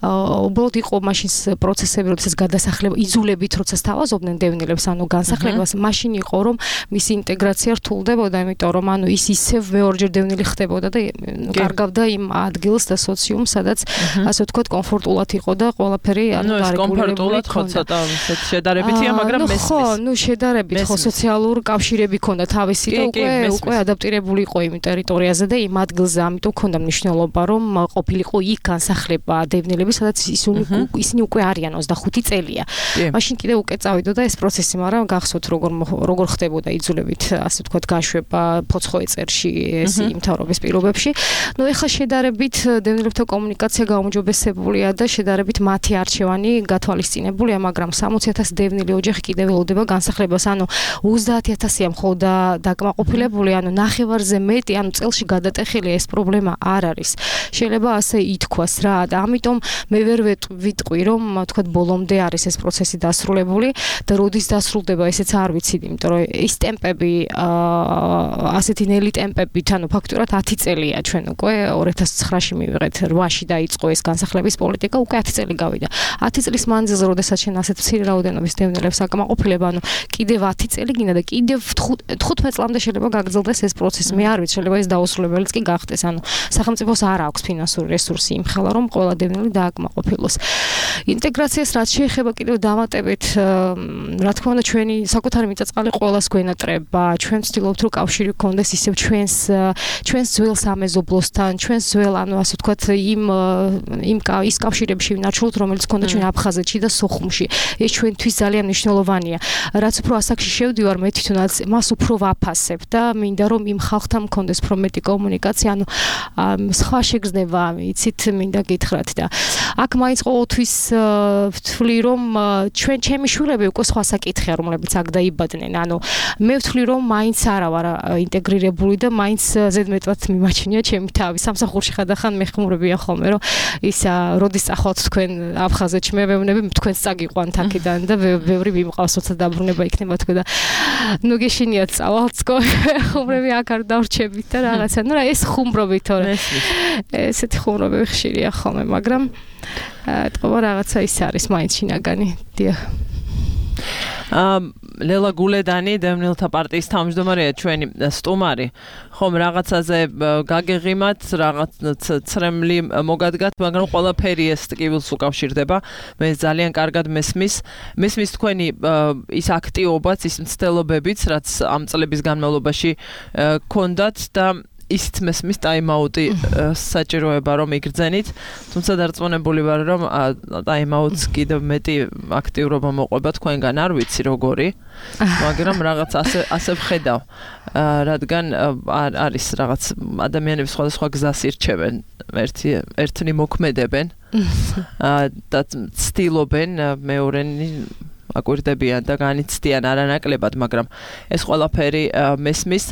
უბრალოდ იყო მაშინ პროცესები, როდესაც გადასახლება იძულებით როცა სთავაზობდნენ დევნილებს ანუ განსახლებას, მაშინ იყო რომ მისი ინტეგრაცია რთულდებოდა, იმიტომ რომ ანუ ის ისევ მეორჯერ დევნილი ხდებოდა და კარგავდა იმ ადგილს და სოციუმს, სადაც ასე ვთქვათ კომფორტულად იყო და ყველაფერი ანუ გარეგულირებული იყო. ცოტა შედარებითია, მაგრამ მესმის. ხო, ნუ შედარებით ხო სოციალური კავშირები ქონდა თავისი და უკვე უკვე ადაპტირებული იყო იმ ტერიტორიაზე და იმ ადგილზე, ამიტომ ქონდა მნიშვნელობა რომ ყოფილიყო იქ განსახლება დევნილების, სადაც ისინი უკვე არიან ოცდახუთი წელია. მაშინ კიდე უკვე წავიდოდა ეს პროცესი, მაგრამ გახსოვთ როგორ როგორ ხდებოდა იძულებით ასე ვთქვათ გაშვება ფოცხოეწერში ეს იმთავრობის პირობებში. ნუ ეხლა შედარებით დევნილებთან კომუნიკაცია გაუმჯობესებულია და შედარებით მათი არჩევანი გათვალისწინებულია, მაგრამ სამოცი ათასი დევნილი ოჯახი კიდევ ველოდება განსახლებას. ანუ ოცდაათი ათასია მხოლოდ დაკმაყოფილებული, ანუ ნახევარზე მეტი, ანუ წელში გადატეხილი ეს პრობლემა არ არის. შეიძლება ასე ითქვას რა და ამიტომ მე ვერ ვიტყვი რომ თქვათ ბოლომდე არის ეს პროცესი დასრულებული და როდის დასრულდება ესეც არ ვიცი, იმიტომ რომ ეს ტემპები ასეთი ნელი ტემპებით, ანუ ფაქტურად ათი წელია ჩვენ უკვე ორი ათას ცხრაში მივიღეთ რვაში დაიწყო ეს განსახლების პოლიტიკა, უკვე ათი წელი გავიდა. ათი წლის მანძილზე, როდესაც შენ ასეთ მცირე რაოდენობის დევნილებს აკმაყოფილება, ანუ კიდევ ათი წელი გინდა და კიდევ თხუთმეტ წლამდე შეიძლება გაგრძელდეს ეს პროცესი. მე არ ვიცი, შეიძლება ეს დაუსრულებელიც კი გახდეს. ანუ სახელმწიფოს არ აქვს ფინანსური რესურსი იმხელა, რომ ყველა დევნილი დააკმაყოფილოს. ინტეგრაციას რაც შეეხება კიდევ დამატებით, რა თქმა უნდა, ჩვენი საკუთარი მიწა-წყალი ყველას გვენატრება. ჩვენ ვცდილობთ, რომ კავშირი გქონდეს ისევ ჩვენს ჩვენს ძველ სამეზობლოსთან, ჩვენს ძველ, ანუ ასე ვთქვათ, იმ იმ ის კავშირებში ვინარჩუნოთ, რომელიც გქონდა ჩვენ აფხაზეთში და სოხუმში. ეს ჩვენთვის ძალიან მნიშვნელოვანია. რაც უფრო ასაკში შევდივარ, მე თვითონაც მას უფრო ვაფასებ და მინდა რომ იმ ხალხთან მქონდეს უფრო მეტი კომუნიკაცია, ანუ სხვა შეგრძნება, იცით, მინდა გითხრათ და აქ მაინც ყოველთვის ვთვლი რომ ჩვენ ჩემი შვილები უკვე სხვა საკითხია, რომლებიც აქ დაიბადნენ. ანუ მე ვთვლი რომ მაინც არა ვარ ინტეგრირებული და მაინც ზედმეტად მიმაჩნია ჩემი თავი. სამსახურში ხადახან მეხმურებიან ხოლმე რომ ის როდის წახვალთ თქვენ აფხაზეთში, მე ვეუბნები თქვენს წაგიყვანთ აქედან და ბევრი მიმყავს, როცა დაბრუნება იქნება თქვენ და ნუ გეშინიათ წავალთ სკოლა. ხუმრები აქ არ დავრჩებით და რაღაცა. ნუ რა ეს ხუმრობი თორე. ესეთი ხუმრობები ხშირია ხოლმე, მაგრამ თქო რაღაცა ის არის მაინც შინაგანი. დიახ. ამ ლელა გულედანი დევნილთა პარტიის თავმჯდომარეა ჩვენი სტუმარი. ხომ რაღაცაზე გაგეღიმათ, რაღაც ცრემლი მოგადგათ, მაგრამ ყველაფერი ეს ტკივილს უკავშირდება. მე ძალიან კარგად მესმის. მესმის თქვენი ის აქტიობაც, ის მცდელობებიც, რაც ამ წლების განმავლობაში გქონდათ და ისიც მესმის ტაიმაუტი საჭიროება რომ იგრძენით, თუმცა დარწმუნებული ვარ რომ ტაიმაუტს კიდევ მეტი აქტიურობა მოყვება თქვენგან, არ ვიცი როგორი, მაგრამ რაღაც ასე ასე ვხედავ, რადგან არის რაღაც ადამიანები სხვადასხვა გზას ირჩევენ, ერთი ერთნი მოქმედებენ და ცდილობენ მეორენი აკვირდებიან და განიცდიან არანაკლებად, მაგრამ ეს ყველაფერი მესმის.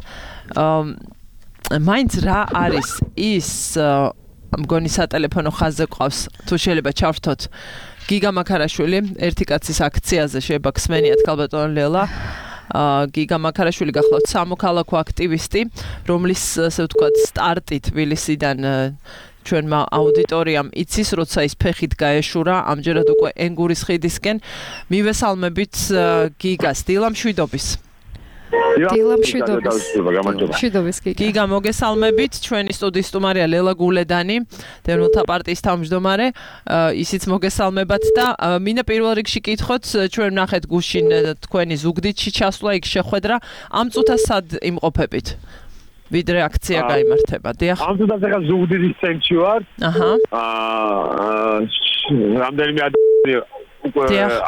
მაინც რა არის ის მგონი სატელეფონო ხაზზე ყავს, თუ შეიძლება ჩავრთოთ გიგა მაქარაშვილი ერთი კაცის აქციაზე, შეიძლება გსმენიათ ქალბატონ ლელა. გიგა მაქარაშვილი გახლავთ სამოქალაქო აქტივისტი, რომლის ასე ვთქვათ სტარტი თბილისიდან ჩვენმა აუდიტორიამ იცის, როცა ის ფეხით გაეშურა, ამჯერად უკვე ენგურის ხიდისკენ. მივესალმებით გიგას, დილა მშვიდობის. დილა მშვიდობის. მშვიდობის გიგა. გიგა მოგესალმებით, ჩვენი სტუდიის სტუმარია ლელა გულედანი, დევნილთა პარტიის თავმჯდომარე, ისიც მოგესალმებათ და მინდა პირველ რიგში კითხოთ, ჩვენ ვნახეთ გუშინ თქვენი ზუგდიდში ჩასვლა, იქ შეხვედრა, ამ წუთას სად იმყოფებით? ვიდრე აქცია გაიმართება, დიახ. ამ წუთას ახლა ზუგდიდის ცენტრში ვარ. აჰა. აა რამდენიმე ადამიანი უკვე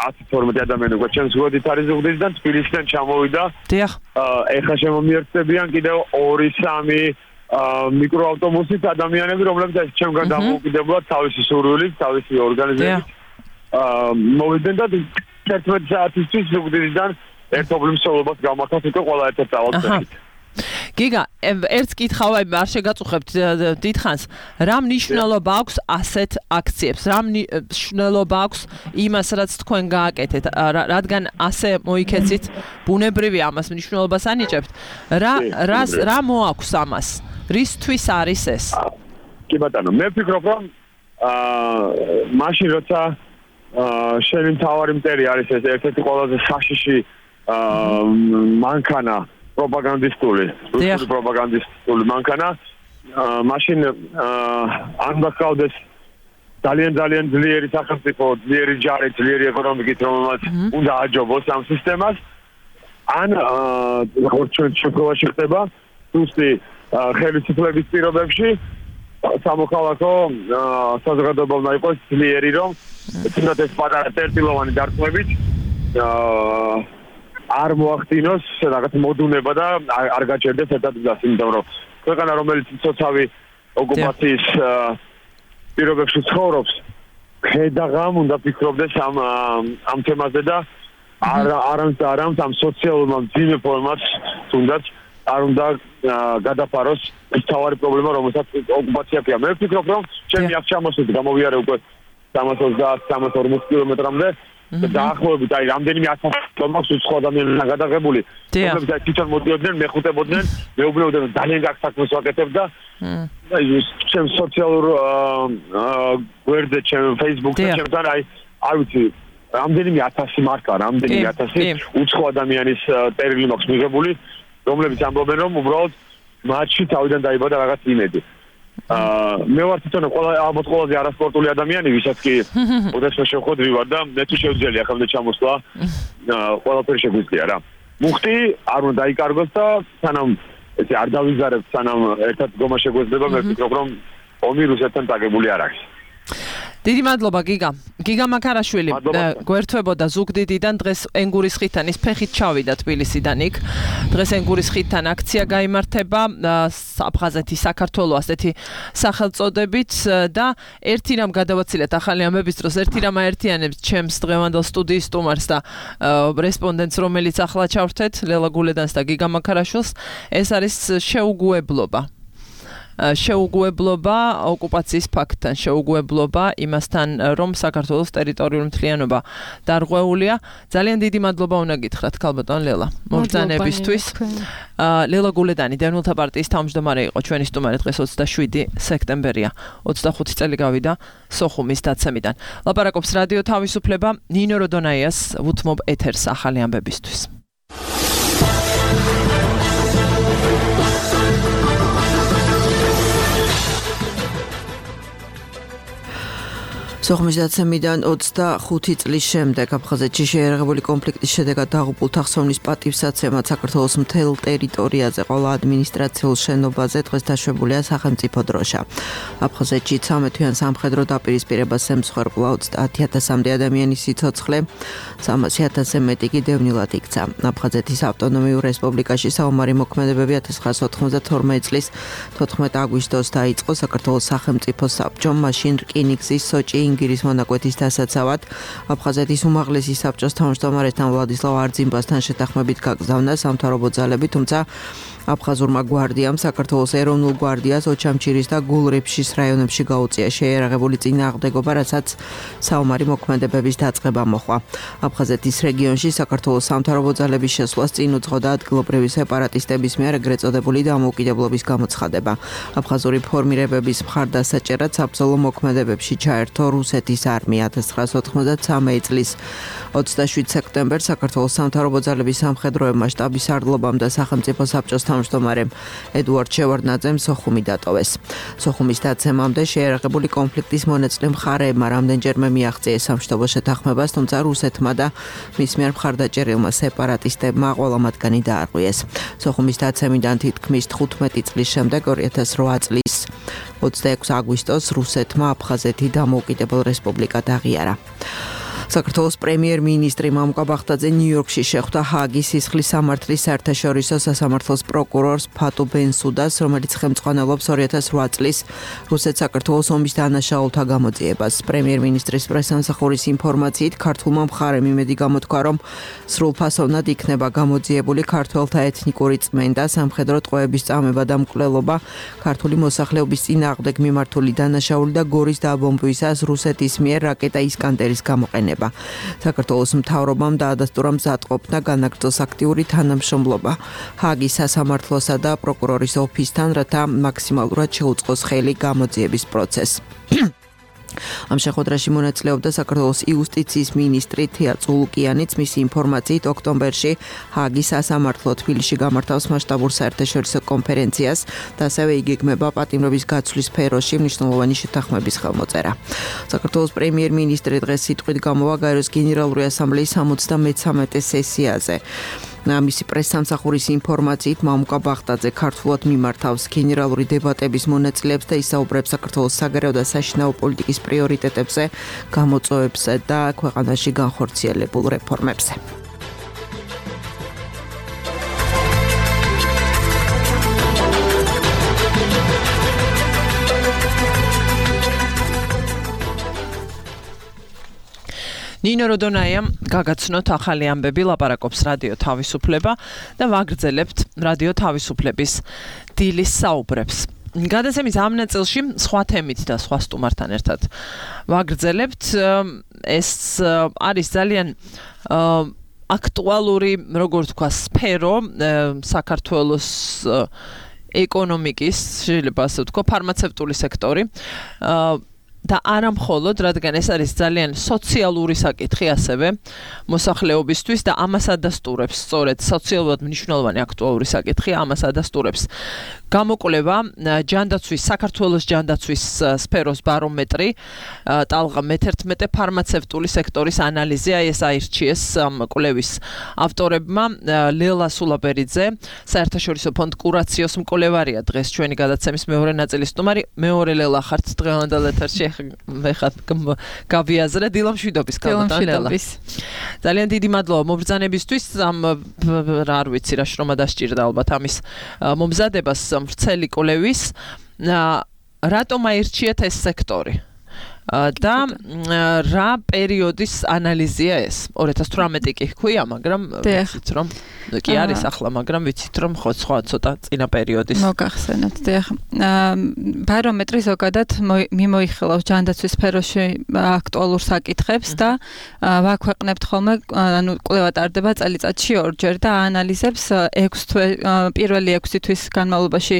ათი თორმეტი ადამიანი უკვე ჩემს ზუგდიდს არის ზუგდიდიდან თბილისიდან ჩამოვიდა. დიახ. ეხლა შემომიერთებიან კიდევ ორი სამი მიკროავტობუსით ადამიანები, რომლებიც ჩემგან დამოუკიდებლად თავისი სურვილით, თავისი ორგანიზებით მოვიდნენ და თერთმეტი საათისთვის ზუგდიდიდან ერთობლივ მსვლელობას გამართოთ უკვე ყველა ერთად დავალწევით. გიგა, ერთს კითხავ, აი არ შეგაწუხებთ დიდხანს, რა მნიშვნელობა აქვს ასეთ აქციებს? რა მნიშვნელობა აქვს იმას, რაც თქვენ გააკეთეთ? რადგან ასე მოიქეცით, ბუნებრივი ამას მნიშვნელობას ანიჭებთ. რა რას რა მოაქვს ამას? რისთვის არის ეს? კი ბატონო, მე ვფიქრობ, რომ აა მაშინ როცა აა შენი მთავარი მტერი არის ეს ერთ-ერთი ყველაზე საშიში აა მანქანა პროპაგანდისტული, რუსული პროპაგანდისტული მანქანა, მაშინ არ გახავდეს ძალიან ძალიან ძლიერი სახელმწიფო, ძლიერი ჯარი, ძლიერი ეკონომიკით, რომელმაც უნდა აჯობოს ამ სისტემას. ან ჩვენ შემთხვევაში ხდება ზუსტი ხელისუფლების პირობებში სამოქალაქო საზოგადოება უნდა იყოს ძლიერი, რომ თუნდაც ეს პატარა წერტილოვანი დარტყმებით არ მოახდინოს რაღაც მოდუნება და არ გაჩერდეს ერთად გზას, იმიტომ რომ ქვეყანა რომელიც ცოცხალი ოკუპაციის პირობებში ცხოვრობს, ხედაღამ უნდა ფიქრობდეს ამ ამ თემაზე და არ არამც არამც ამ სოციალურმა მძიმე ფორმას თუნდაც არ უნდა გადაფაროს ეს თავარი პრობლემა, რომელსაც ოკუპაცია აქვს. მე ვფიქრობ, რომ ჩემი აქ ჩამოსვლით გამოვიარე უკვე სამას ოცდაათ სამას ორმოც კილომეტრამდე და დაახლოებით აი რამდენიმე ათასი ტომას უცხო ადამიანებთან გადაღებული. რომლებიც აი თვითონ მოდიოდნენ, მეხუტებოდნენ, მეუბნებოდნენ ძალიან გაკ საქმეს ვაკეთებ და აი ჩემ სოციალურ გვერდზე, ჩემ Facebook-ზე, ჩემთან აი არ ვიცი რამდენიმე ათასი მარკა, რამდენიმე ათასი უცხო ადამიანის წერილი მაქვს მიღებული, რომლებიც ამბობენ, რომ უბრალოდ მათში თავიდან დაიბადა რაღაც იმედი. აა მე ვარ თვითონ ყველა ალბათ ყველაზე არასპორტული ადამიანი, ვისაც კი ოდესმე შევხვედრი ვარ და მე თუ შევძელი ახლა ჩამოსვლა, ყველაფერი შეგვიძლია რა. მუხტი არ უნდა დაიკარგოს და სანამ ესე არ დავიზარებთ, სანამ ერთად დგომა შეგვეძლება, მე ვფიქრობ, რომ ომი რუსეთთან დაგებული არ არის. დიდი მადლობა გიგა. გიგა მაქარაშვილი გვერდთვებოდა ზუგდიდიდან, დღეს ენგურის ხიდთან ის ფეხით ჩავიდა თბილისიდან იქ. დღეს ენგურის ხიდთან აქცია გაიმართება აფხაზეთის საქართველოს ასეთი სახელწოდებით და ერთი რამ გადავაცილეთ ახალი ამბების დროს, ერთი რამ აერთიანებს ჩემს დღევანდელ სტუდიის სტუმარს და რესპონდენტს, რომელიც ახლა ჩავრთეთ, ლელა გულედანს და გიგა მაქარაშვილს, ეს არის შეუგუებლობა. შეუგუებლობა ოკუპაციის ფაქტთან, შეუგუებლობა იმასთან, რომ საქართველოს ტერიტორიული მთლიანობა დარღვეულია. ძალიან დიდი მადლობა უნდა გითხრათ ქალბატონ ლელა მობრძანებისთვის. ლელა გულედანი, დევნილთა პარტიის თავმჯდომარე იყო ჩვენი სტუმარი, დღეს ოცდაშვიდი სექტემბერია, ოცდახუთი წელი გავიდა სოხუმის დაცემიდან. ლაპარაკობს რადიო თავისუფლება, ნინო როდონაიას ვუთმობ ეთერს ახალი ამბებისთვის. სოხუმის დაცემიდან ოცდახუთი წლის შემდეგ აფხაზეთში შეერაღებული კონფლიქტის შედეგად დაღუპულთა ხსოვნის პატივსაცემად საქართველოს მთელ ტერიტორიაზე ყველა ადმინისტრაციულ შენობაზე დღეს დაშვებულია სახელმწიფო დროშა. აფხაზეთში ცამეტვიან სამხედრო დაპირისპირებას ემსხვერპლა ოცდაათი ათასამდე ადამიანის სიცოცხლე, სამასი ათასზე მეტი კი დევნილად იქცა. აფხაზეთის ავტონომიურ რესპუბლიკაში საომარი მოქმედებები ათას ცხრაასი ოთხმოცდათორმეტი წლის თოთხმეტი აგვისტოს დაიწყო საქართველოს სახელმწიფო საბჭომ, მაშინ რკინიგზის სოჭი ინგირის მონაკვეთის დასაცავად აფხაზეთის უმაღლესი საბჭოს თავმჯდომარესთან ვლადისლავ არძიმბასთან შეთანხმებით გაგზავნა სამთავრობო ძალები, თუმცა აფხაზურმა გვარდიამ საქართველოს ეროვნულ გვარდიას ოჩამჩირის და გულრიფშის რაიონებში გაუწია შეიარაღებული წინააღმდეგობა, რასაც საომარი მოქმედებების დაწყება მოჰყვა. აფხაზეთის რეგიონში საქართველოს სამთავრობო ძალების შესვლას წინ უძღოდა ადგილობრივი სეპარატისტების მიერ ეგრეთ წოდებული დამოუკიდებლობის გამოცხადება. აფხაზური ფორმირებების მხარდასაჭერად საბრძოლო მოქმედებებში ჩაერთო რუსეთის არმია. ათას ცხრაასი ოთხმოცდათსამი წლის ოცდაშვიდ სექტემბერს საქართველოს სამთავრობო ძალების სამხედროებმა შტაბის арлობამ და სახელმწიფო საბჭოს თავმჯდომარემ ედუარდ შევარდნაძემ სოხუმი დატოვეს. სოხუმის დაცემამდე შეიარაღებული კონფლიქტის მონაწილე მხარეებმა რამდენჯერმე მიაღწიეს სამშვიდობო შეთანხმებას, თუმცა რუსეთმა და მის მიერ მხარდაჭერილმა სეპარატისტებმა ყველა მათგანი დაარღვიეს. სოხუმის დაცემიდან თითქმის თხუთმეტი წლის შემდეგ ორი ათას რვა წლის ოცდაექვსი აგვისტოს რუსეთმა აფხაზეთი დამოუკიდებელ რესპუბლიკად აღიარა. საქართველოს პრემიერ-მინისტრი მამუკა ბახტაძე ნიუ-იორკში შეხვდა ჰააგის სისხლის სამართლის საერთაშორისო სასამართლოს პროკურორს ფატუ ბენსუდას, რომელიც ხელმძღვანელობს ორი ათას რვა წლის რუსეთ-საქართველოს ომის დანაშაულთა გამოძიებას. პრემიერ-მინისტრის პრესსამსახურის ინფორმაციით, ქართულმა მხარემ იმედი გამოთქვა, რომ სრულფასოვნად იქნება გამოძიებული ქართველთა ეთნიკური წმენდა, სამხედრო ტყვეების წამება და მკვლელობა, ქართული მოსახლეობის წინააღმდეგ მიმართული დანაშაული და გორის დაბომბვისას რუსეთის მიერ რაკეტა ისკანდერის გამოყენება. საქართველოს მთავრობამ დაადასტურა მზადყოფნა განაგრძოს აქტიური თანამშრომლობა ჰააგის სასამართლოსა და პროკურორის ოფისთან, რათა მაქსიმალურად შეუწყოს ხელი გამოძიების პროცესს. ამ შეხვედრაში მონაწილეობდა საქართველოს იუსტიციის მინისტრი თია წულუკიანიც. მისი ინფორმაციით, ოქტომბერში ჰააგის სასამართლო თბილისში გამართავს მასშტაბურ საერთაშორისო კონფერენციას და ასევე იგეგმება პატიმრობის გაცვლის სფეროში მნიშვნელოვანი შეთანხმების ხელმოწერა. საქართველოს პრემიერ-მინისტრი დღეს სიტყვით გამოვა გაეროს გენერალური ასამბლეის სამოცდამეცამეტე სესიაზე. მისი პრესსამსახურის ინფორმაციით, მამუკა ბახტაძე ქართულად მიმართავს გენერალური დებატების მონაწილეებს და ისაუბრებს საქართველოს საგარეო და საშინაო პოლიტიკის პრიორიტეტებზე, გამოწვევებზე და ქვეყანაში განხორციელებულ რეფორმებზე. ნინო როდონაიამ გაგაცნოთ ახალი ამბები, ლაპარაკობს რადიო თავისუფლება და ვაგრძელებთ რადიო თავისუფლების დილის საუბრებს. გადაცემის ამ ნაწილში სხვა თემით და სხვა სტუმართან ერთად ვაგრძელებთ. ეს არის ძალიან აქტუალური, როგორ თქვა, სფერო საქართველოს ეკონომიკის, შეიძლება ასე ვთქვა, ფარმაცევტული სექტორი. და არა მხოლოდ, რადგან ეს არის ძალიან სოციალური საკითხი ასევე მოსახლეობისთვის და ამას ადასტურებს, სწორედ სოციალურად მნიშვნელოვანი აქტუალური საკითხი, ამას ადასტურებს გამოკვლევა ჯანდაცვის, საქართველოს ჯანდაცვის სფეროს ბარომეტრი, ტალღა მეთერთმეტე ფარმაცევტული სექტორის ანალიზი, აი ეს აირჩიეს ამ კვლევის ავტორებმა. ლელა სულაბერიძე, საერთაშორისო ფონდ კურაციოს მკვლევარია, დღეს ჩვენი გადაცემის მეორე ნაწილის სტუმარი. მეორე ლელა ხართ დღევანდელ ეთერში. ვეხათ გავიაზრე დილამშვიდობის კალათანელა. ძალიან დიდი მადლობა მობრძანებისთვის. ამ არ ვიცი რა შრომა დასჭირდა ალბათ ამის მომზადებას ვრცელი კვლევის. რატომ აირჩიეთ ეს სექტორი? და რა პერიოდის ანალიზია ეს? ორი ათას თვრამეტი კი ჰქვია, მაგრამ ვიცით რომ კი არის ახლა, მაგრამ ვიცით რომ ხო სხვა ცოტა წინა პერიოდის. მოგახსენოთ, დიახ. ბარომეტრი ზოგადად მიმოიხილავს ჯანდაცვის სფეროში აქტუალურ საკითხებს და ვაქვეყნებთ ხოლმე, ანუ კვლევა ტარდება წელიწადში ორჯერ და აანალიზებს ექვსი თვე, პირველი ექვსი თვის განმავლობაში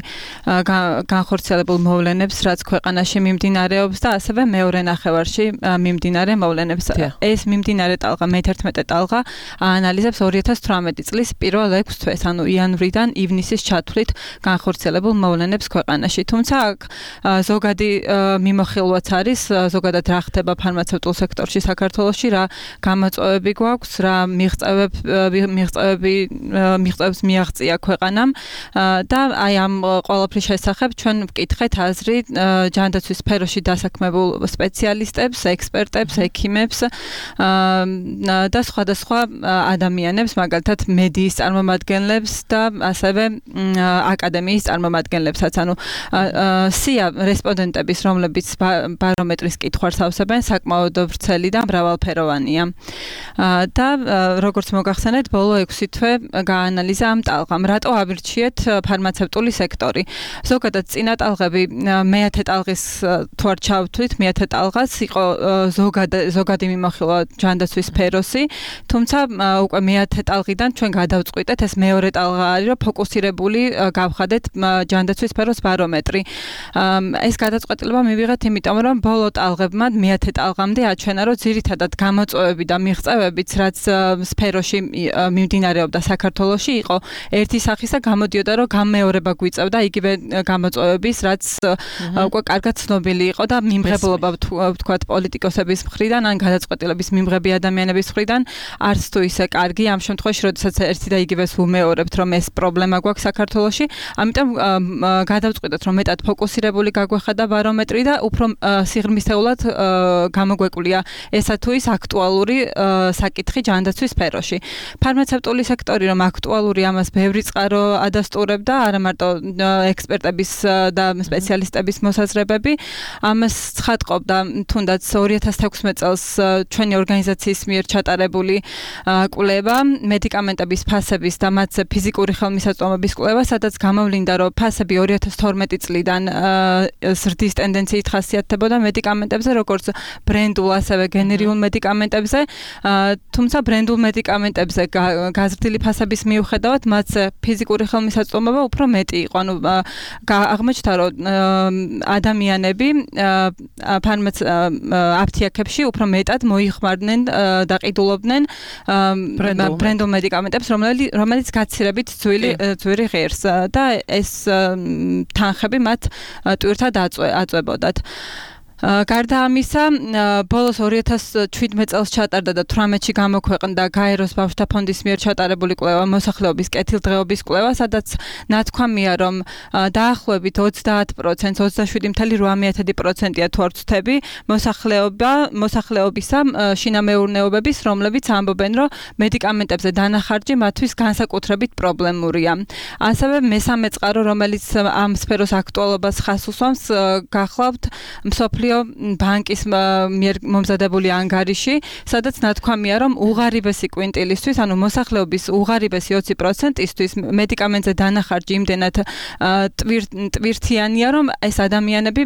განხორციელებულ მოვლენებს, რაც ქვეყანაში მიმდინარეობს და ასევე მეორე ნახევარში მიმდინარე მოვლენებს. ეს მიმდინარე ტალღა, მეთერთმეტე ტალღა აანალიზებს ორი ათას თვრამეტი წლის პირველ ექვსი თვეს, ანუ იანვრიდან ივნისის ჩათვლით განხორციელებულ მოვლენებს ქვეყანაში. თუმცა აქ ზოგადი მიმოხილვაც არის, ზოგადად რა ხდება ფარმაცევტულ სექტორში საქართველოში, რა გამოწვევები გვაქვს, რა მიღწევები მიღწევები მიღწევებს მიაღწია ქვეყანამ და აი ამ ყველაფრის შესახებ ჩვენ ვკითხეთ აზრი ჯანდაცვის სფეროში დასაქმებულ სპეციალისტებს, ექსპერტებს, ექიმებს და სხვადასხვა ადამიანებს, მაგალითად მედიის წარმომადგენლებს და ასევე აკადემიის წარმომადგენლებსაც. ანუ სია რესპონდენტების, რომლებიც ბარომეტრის კითხვას ავსებენ, საკმაოდ ვრცელი და მრავალფეროვანია. და როგორც მოგახსენეთ, ბოლო ექვსი თვე გაანალიზა ამ ტალღამ, რატო ავირჩიეთ ფარმაცევტული სექტორი. ზოგადად წინა ტალღები მეათე ტალღის თუ არ ჩავთვლით, მეათე ტალღაც იყო ზოგადი მიმოხილვა ჯანდაცვის სფეროსი, თუმცა უკვე მეათე ტალღიდან ჩვენ გადავწყვიტეთ, ეს მეორე ტალღა არის, რომ ფოკუსირებული გავხადეთ ჯანდაცვის სფეროს ბარომეტრი. ეს გადაწყვეტილება მივიღეთ, იმიტომ რომ ბოლო ტალღებმა მეათე ტალღამდე აჩვენა, რომ ძირითადად გამოწვევები და მიღწევებიც, რაც სფეროში მიმდინარეობდა საქართველოში, იყო ერთი სახის და გამოდიოდა, რომ გამეორება გვიწევდა იგივე გამოწვევების, რაც უკვე კარგად ცნობილი იყო და მიმღებლობა ვთქვათ პოლიტიკოსების მხრიდან, ან გადაწყვეტილების მიმღები ადამიანების მხრიდან არც თუ ისე კარგი ამ შემთხვევაში, როდესაც ერთი და იგივეს ვუმეორებთ, რომ ეს პრობლემა გვაქვს საქართველოში, ამიტომ გადავწყვიტეთ, რომ მეტად ფოკუსირებული გაგვეხადა ბარომეტრი და უფრო სიღრმისეულად გამოგვეკვлия ესა თუ ის აქტუალური საკითხი ჯანდაცვის სფეროში. ფარმაცევტული სექტორი რომ აქტუალური, ამას ბევრი წყარო ადასტურებდა, არა მარტო ექსპერტების და სპეციალისტების მოსაზრებები, ამას ცხადყოფდა თუნდაც ორი ათას თექვსმეტ წელს ჩვენი ორგანიზაციის მიერ ჩატარებული კვლევა, მედიკამენტების ფასების და მათზე ფიზიკური ხელმისაწვდომობის კვლევა, სადაც გამოვლინდა, რომ ფასები ორი ათას თორმეტი წლიდან ზრდის ტენდენციით ხასიათდებოდა მედიკამენტებზე, როგორც ბრენდულ, ასევე გენერიულ მედიკამენტებზე, თუმცა ბრენდულ მედიკამენტებზე გაზრდილი ფასების მიუხედავად, მათზე ფიზიკური ხელმისაწვდომობა უფრო მეტი იყო. ანუ აღმოჩნდა, რომ ადამიანები აფთიაქებში უფრო მეტად მოიხმარდნენ და ყიდულობდნენ ბრენდულ მედიკამენტებს, რომელიც გაცილებით ძვირი ღირს და ეს თანხები მათ ტვირთად აწვებოდათ. გარდა ამისა, ბოლოს ორი ათას შვიდმეტ წელს ჩატარდა და თვრამეტში გამოქვეყნდა გაეროს ბავშვთა ფონდის მიერ ჩატარებული კვლევა, მოსახლეობის კეთილდღეობის კვლევა, სადაც ნათქვამია, რომ დაახლოებით ოცდაათ პროცენტს, ოცდაშვიდი მცდარი რვა პროცენტია თუ არ ვცდები, მოსახლეობა, მოსახლეობისა შინამეურნეობების, რომლებიც ამბობენ, რომ მედიკამენტებზე დანახარჯი მათთვის განსაკუთრებით პრობლემურია. ასევე მესამე წყარო, რომელიც ამ სფეროს აქტუალობას ხაზს უსვამს, გახლავთ მსოფლიო ბანკის მიერ მომზადებული ანგარიში, სადაც ნათქვამია, რომ უღარიბესი კვინტილისთვის, ანუ მოსახლეობის უღარიბესი ოცი პროცენტისთვის მედიკამენტზე დანახარჯი იმდენად ტვირთიანია, რომ ეს ადამიანები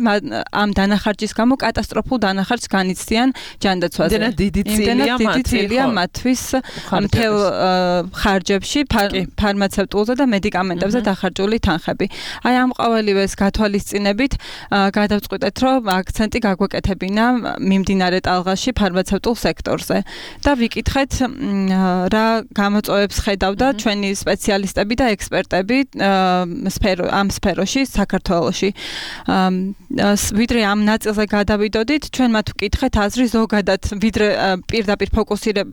ამ დანახარჯის გამო კატასტროფულ დანახარჯს განიცდიან ჯანდაცვაზე. იმდენად დიდი წილია მათთვის მთელ ხარჯებში, ფარმაცევტულზე და მედიკამენტებზე დახარჯული თანხები. აი ამ ყოველივეს გათვალისწინებით გადავწყვიტეთ, რომ აქცენტი გაგვეკეთებინა მიმდინარე ტალღაში ფარმაცევტულ სექტორზე და ვიკითხეთ რა გამოწვევებს ხედავდა ჩვენი სპეციალისტები და ექსპერტები ამ სფეროში საქართველოში. ვიდრე ამ ნაწილზე გადავიდოდით, ჩვენ მათ ვკითხეთ აზრი ზოგადად, ვიდრე პირდაპირ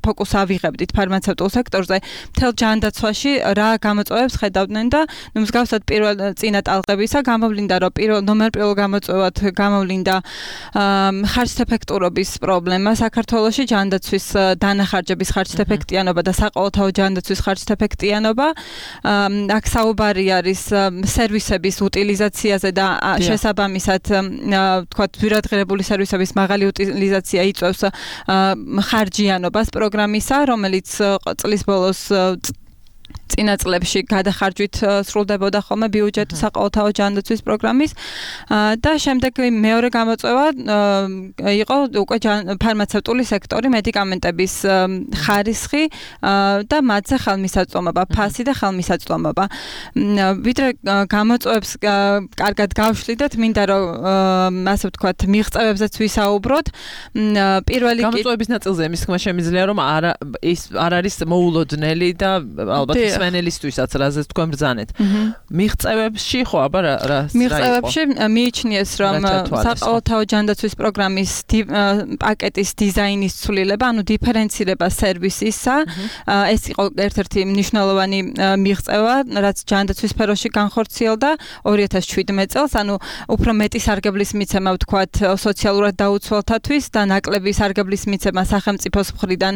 ფოკუს ავიღებდით ფარმაცევტულ სექტორზე, მთელ ჯანდაცვაში რა გამოწვევებს ხედავდნენ და მსგავსად პირველ წინა ტალღებისა გამოვლინდა, რომ პირველ ნომერ პირველ გამოწვევად გამოვლინდა ხარჯთეფექტურობის პრობლემა საქართველოში, ჯანდაცვის დანახარჯების ხარჯთეფექტიანობა და საყოველთაო ჯანდაცვის ხარჯთეფექტიანობა. აქ საუბარი არის სერვისების უტილიზაციაზე და შესაბამისად, თქვათ, ძვირადღირებული სერვისების მაღალი უტილიზაცია იწვევს ხარჯიანობას პროგრამისა, რომელიც წლის ბოლოს წინა წლებში გადახარჯვით სრულდებოდა ხოლმე ბიუჯეტი საყოველთაო ჯანდაცვის პროგრამის და შემდეგ მეორე გამოწვევა იყო უკვე ფარმაცევტული სექტორი, მედიკამენტების ხარისხი და მათზე ხელმისაწვდომობა, ფასი და ხელმისაწვდომობა. ვიდრე გამოწვევებს კარგად გავშლიდეთ, მინდა რომ ასე ვთქვათ, მიღწევებზეც ვისაუბროთ. პირველი გამოწვევების ნაწილზე იმის თქმა შემიძლია, რომ არ ის არ არის მოულოდნელი და ალბათ მსმენელისთვისაც რაზეც თქვენ ბრძანეთ. მიღწევებში ხო, აბა რა რა მიღწევებში მიიჩნიეს, რომ საყოველთაო ჯანდაცვის პროგრამის პაკეტის დიზაინის ცვლილება, ანუ დიფერენცირება სერვისისა, ეს იყო ერთ-ერთი მნიშვნელოვანი მიღწევა, რაც ჯანდაცვის სფეროში განხორციელდა ორი ათას შვიდმეტ წელს, ანუ უფრო მეტი სარგებლის მიცემა ვთქვათ სოციალურად დაუცველთათვის და ნაკლები სარგებლის მიცემა სახელმწიფოს მხრიდან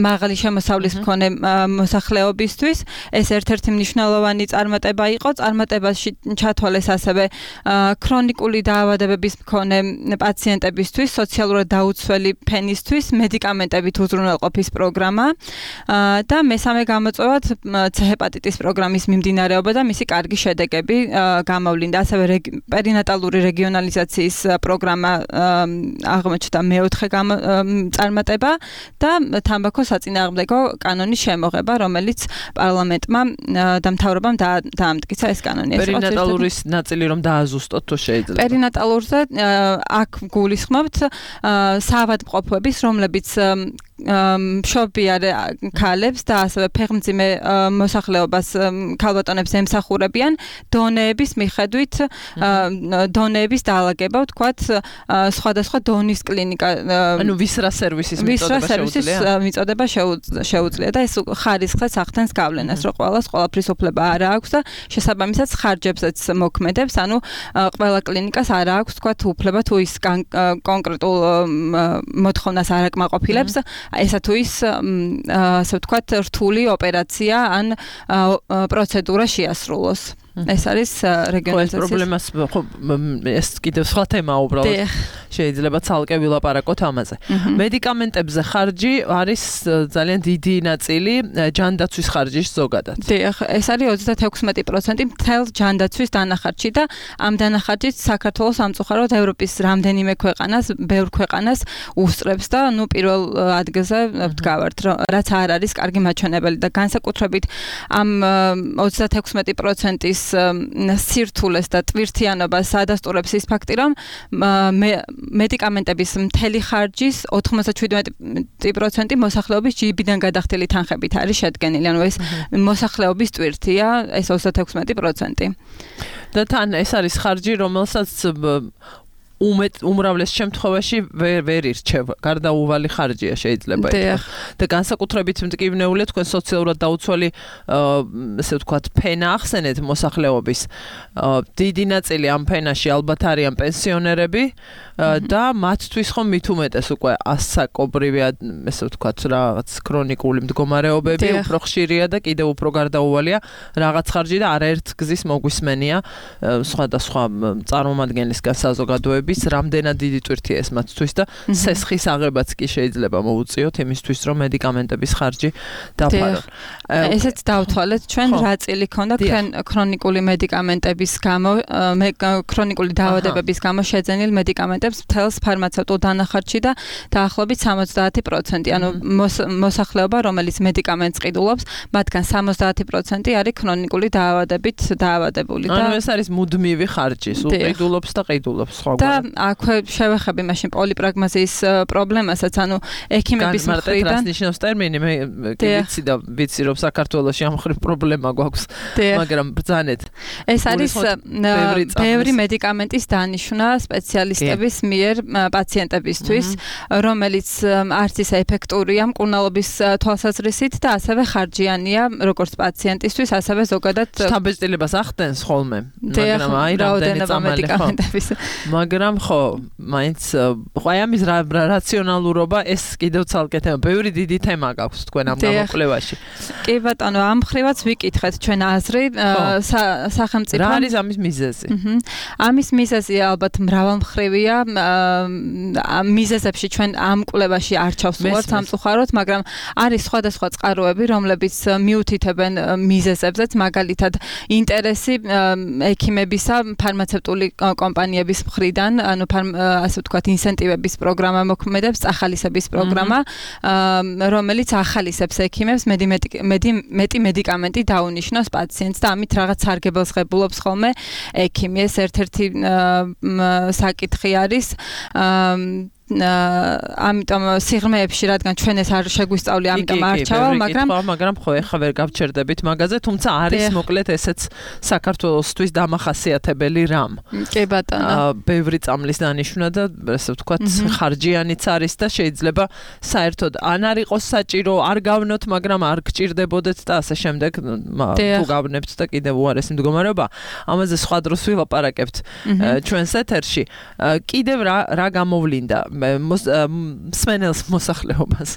მაღალი შემოსავლის მქონე მოსახლეობისთვის. ეს ერთ-ერთი მნიშვნელოვანი წარმატება იყო. წარმატებაში ჩათვალეს ასევე ქრონიკული დაავადებების მქონე პაციენტებისთვის, სოციალურად დაუცველი ფენისთვის მედიკამენტებით უზრუნველყოფის პროგრამა და მესამე გამოწვევად C-ჰეპატიტის პროგრამის მიმდინარეობა და მისი კარგი შედეგები გამოვლინდა. ასევე პერინატალური რეგიონალიზაციის პროგრამა აღმოჩნდა მეოთხე წარმატება და თამბაქოს საწინააღმდეგო კანონის შემოღება, რომელიც პარლამენტმა და მთავრობამ დაამტკიცა ეს კანონი. პერინატალურის ნაწილი რომ დააზუსტოთ თუ შეიძლება. პერინატალურზე აქ გულისხმობთ საავადმყოფოების, რომლებიც მშობიარე ქალებს და ასევე ფეხმძიმე მოსახლეობას ქალბატონებს ემსახურებიან დონეების მიხედვით დონეების დაალაგება, ვთქვათ, სხვადასხვა დონის კლინიკა, ანუ ვისრა სერვისის მიწოდება შეუძლია და ეს ხარისხსაც ახდენს გავლენას, რომ ყველას ყველაფრის უფლება არ აქვს და შესაბამისად ხარჯებსაც მოქმედებს, ანუ ყველა კლინიკას არ აქვს, ვთქვათ, უფლება თუ ის კონკრეტულ მოთხოვნას არ აკმაყოფილებს, ესა თუ ის ასე ვთქვათ რთული ოპერაცია ან პროცედურა შეასრულოს. ეს არის რეგიონალიზაციის პრობლემას ხო ეს კიდევ სხვა თემაა უბრალოდ შეიძლება ცალკე ვილაპარაკოთ ამაზე. მედიკამენტებზე ხარჯი არის ძალიან დიდი ნაწილი ჯანდაცვის ხარჯის ზოგადად. დიახ, ეს არის ოცდათექვსმეტი პროცენტი მთელ ჯანდაცვის დანახარჯი და ამ დანახარჯით საქართველოს სამწუხაროდ ევროპის რამდენიმე ქვეყანას, ბევრ ქვეყანას უსწრებს და ნუ პირველ ადგილზე ვდგავართ, რაც არ არის კარგი მაჩვენებელი და განსაკუთრებით ამ ოცდათექვსმეტი პროცენტის სირთულეს და ტვირთიანობას ადასტურებს ის ფაქტი, რომ მედიკამენტების მთელი ხარჯის ოთხმოცდაშვიდმეტი პროცენტი მოსახლეობის ჯიბიდან გადახდილი თანხებით არის შედგენილი, ანუ ეს მოსახლეობის ტვირთია, ეს ოცდათექვსმეტი პროცენტი. და თან ეს არის ხარჯი, რომელსაც უმეტ უმრავლეს შემთხვევაში ვერ ვერ ირჩევ. გარდაუვალი ხარჯია შეიძლება ითქვას. და განსაკუთრებით მტკივნეულია თქვენ სოციალურად დაუცველი ესე ვთქვათ ფენა ახსენეთ მოსახლეობის. დიდი ნაწილი ამ ფენაში ალბათ არიან პენსიონერები და მათთვის ხომ მით უმეტეს უკვე ასაკობრივი ესე ვთქვათ რაღაც ქრონიკული მდგომარეობები უფრო ხშირია და კიდევ უფრო გარდაუვალია რაღაც ხარჯი და არაერთ გზის მოგვისმენია სხვადასხვა წარმომადგენლისგან საზოგადოების რამდენად დიდი ტვირთია ეს მათთვის და სესხის აღებაც კი შეიძლება მოუწიოთ იმისთვის რომ მედიკამენტების ხარჯი დაფარონ. ესეც დავთვალეთ ჩვენ რა წილი ქონდა ქრონიკული მედიკამენტების გამო ქრონიკული დაავადებების გამო შეძენილ მედიკამენტებს მთელს ფარმაცევტულ დანახარჯში და დაახლოებით სამოცდაათი პროცენტი, ანუ მოსახლეობა რომელიც მედიკამენტს ყიდულობს, მათგან სამოცდაათი პროცენტი არის ქრონიკული დაავადებით დაავადებული და ანუ ეს არის მუდმივი ხარჯი, სულ ყიდულობს და ყიდულობს სხვა და აქვე შევეხები მაშინ პოლიპრაგმაზიის პრობლემასაც, ანუ ექიმების მხრიდან რას ნიშნავს ტერმინი, მე ვიცი და ვიცი რომ საქართველოში ამ ხრივ პრობლემა გვაქვს, მაგრამ ბრძანეთ. ეს არის ბევრი მედიკამენტის დანიშვნა სპეციალისტების მიერ პაციენტებისთვის, რომელიც არც ისე ეფექტურია მკურნალობის თვალსაზრისით და ასევე ხარჯიანია როგორც პაციენტისთვის, ასევე ზოგადად შთაბეჭდილებას ახდენს ხოლმე, მაგრამ აი რამდენი წამალი ხო. მაგრამ ხო, მაინც ხო აი ამის რაციონალურობა ეს კიდევ ცალკე თემა, ბევრი დიდი თემა გაქვს თქვენ ამ გამოკვლევაში. კი ბატონო, ამ ხრივაც ვიკითხეთ ჩვენ აზრი სახელმწიფო. რა არის ამის მიზეზი? ამის მიზეზი ალბათ მრავალმხრივია. მიზეზებში ჩვენ ამ კვლევაში არ ჩავსულობთ სამწუხაროდ, მაგრამ არის სხვადასხვა წყაროები, რომლებიც მიუთითებენ მიზეზებზეც, მაგალითად ინტერესი ექიმებისა, ფარმაცევტული კომპანიების მხრიდან, ანუ ასე ვთქვათ, ინსენტივების პროგრამა მოქმედებს, ახალისების პროგრამა, რომელიც ახალისებს ექიმებს მეტი მედიკამენტი დაუნიშნოს პაციენტს და ამით რაღაც სარგებელს ღებულობს ხოლმე ექიმი. ეს ერთ-ერთი საკითხი არის. ამიტომ სიღრმეებში რადგან ჩვენ ეს არ შეგვისწავლი, ამიტომ არ ჩავალ, მაგრამ მაგრამ ხო ეხა ვერ გავჩერდებით მაგაზე, თუმცა არის მოკლედ ესეც საქართველოსთვის დამახასიათებელი რამ. კი ბატონო. ბევრი წამლის დანიშვნა და ასე ვთქვათ, ხარჯიანიც არის და შეიძლება საერთოდ ან არ იყოს საჭირო, არ გავნოთ, მაგრამ არ გჭირდებოდეთ და ასე შემდეგ, თუ გავნებთ და კიდევ უარესი მდგომარეობა. ამაზე სხვა დროს ვილაპარაკებთ ჩვენს ეთერში. კიდევ რა რა გამოვლინდა მსმენელს მოსახლეობას.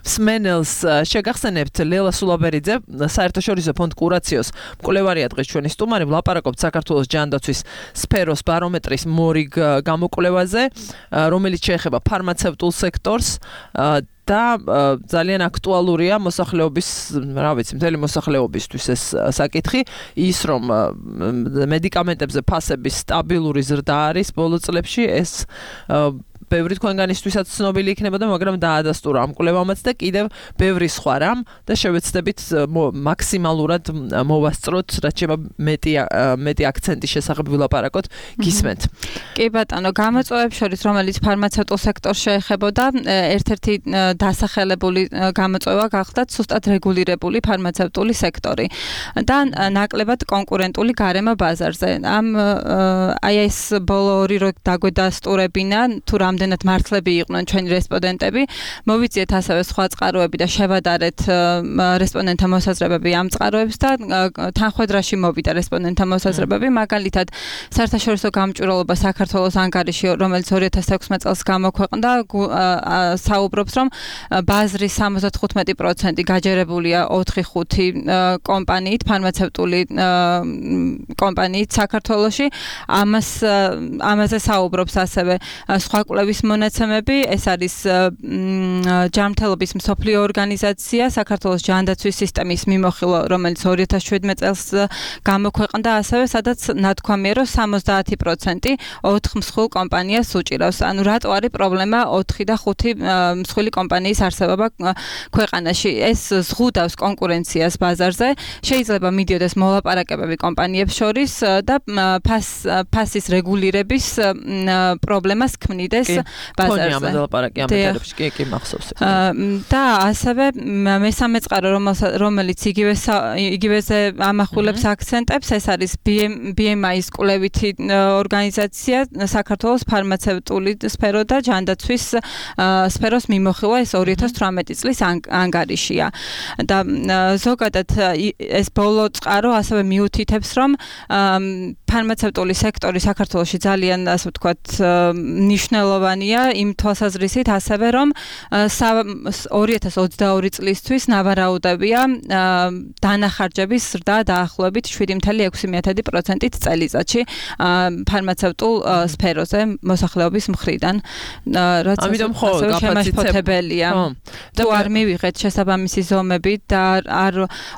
მსმენელს შეგახსენებთ ლელა სულაბერიძე, საერთაშორისო ფონდ კურაციოს მკვლევარია დღეს ჩვენი სტუმარი, ვლაპარაკობთ საქართველოს ჯანდაცვის სფეროს ბარომეტრის მორიგ გამოკვლევაზე, რომელიც შეეხება ფარმაცევტულ სექტორს და ძალიან აქტუალურია მოსახლეობის, რა ვიცი, მთელი მოსახლეობისთვის ეს საკითხი, ის რომ მედიკამენტებზე ფასების სტაბილური ზრდა არის ბოლო წლებში, ეს ბევრი თქვენგანისთვისაც ცნობილი იქნებოდა, მაგრამ დაადასტურა ამ კვლევამაც და კიდევ ბევრი სხვა რამ და შევეცდებით მაქსიმალურად მოვასწროთ, რაც შეება მეტი მეტი აქცენტის შესახებ ვილაპარაკოთ, გისმენთ. კი ბატონო, გამოწვევებს შორის, რომელიც ფარმაცევტულ სექტორს შეეხებოდა, ერთ-ერთი დასახელებული გამოწვევა გახდა სუსტად რეგულირებული ფარმაცევტული სექტორი და ნაკლებად კონკურენტული გარემო ბაზარზე. ამ აი ეს ბოლო ორი რო დაგვედასტურებინა, თუ რამდენად მართლები იყვნენ ჩვენი რესპონდენტები, მოვიძიეთ ასევე სხვა წყაროები და შევადარეთ რესპონდენტთა მოსაზრებები ამ წყაროებს და თანხმედრაში მოვიდა რესპონდენტთა მოსაზრებები, მაგალითად საერთაშორისო გამჭვირვალობა საქართველოს ანგარიში, რომელიც ორი ათას ექვსმეტ წელს გამოქვეყნდა, საუბრობს, რომ ბაზრის სამოცდათხუთმეტი პროცენტი გაჯერებულია ოთხი ხუთი კომპანიით, ფარმაცევტული კომპანიით საქართველოში. ამას ამაზე საუბრობს ასევე სხვა კვლევის მონაცემები, ეს არის ჯანმრთელობის მსოფლიო ორგანიზაცია, საქართველოს ჯანდაცვის სისტემის მიმოხილვა, რომელიც ორი ათას შვიდმეტ წელს გამოქვეყნდა ასევე, სადაც ნათქვამია, რომ სამოცდაათი პროცენტი ოთხ მსხვილ კომპანიას უჭირავს. ანუ რატო არის პრობლემა ოთხი და ხუთი მსხვილი კომპანიის არსებობა ქვეყანაში? ეს ზღუდავს კონკურენციას ბაზარზე, შეიძლება მიდიოდეს მოლაპარაკებები კომპანიებს შორის და ფასის რეგულირების პრობლემას ქმნიდეს ბაზარზე. ამაზე ლაპარაკი ამ ეთერებში, კი, კი, მახსოვს. და ასევე მესამე წყარო, რომელიც იგივე იგივეზე ამახვილებს აქცენტებს, ეს არის ბი ემ აის კვლევითი ორგანიზაცია, საქართველოს ფარმაცევტული სფერო და ჯანდაცვის სფეროს მიმოხილვა, ეს ორი ათას თვრამეტი წლის ანგარიშია. და ზოგადად ეს ბოლო წყარო ასევე მიუთითებს, რომ ფარმაცევტული სექტორი საქართველოში ძალიან, ასე ვთქვათ, ნიშნულოვანია იმ თვალსაზრისით ასევე, რომ ორი ათას ოცდაორი წლისთვის ნავარაუდებია დანახარჯების ზრდა დაახლოებით შვიდი კoma ექვსი პროცენტით წელიწადში ფარმაცევტულ სფეროზე მოსახლეობის მხრიდან. ამიტომ ხო გაფაცებელია. თუ არ მივიღეთ შესაბამისი ზომები და არ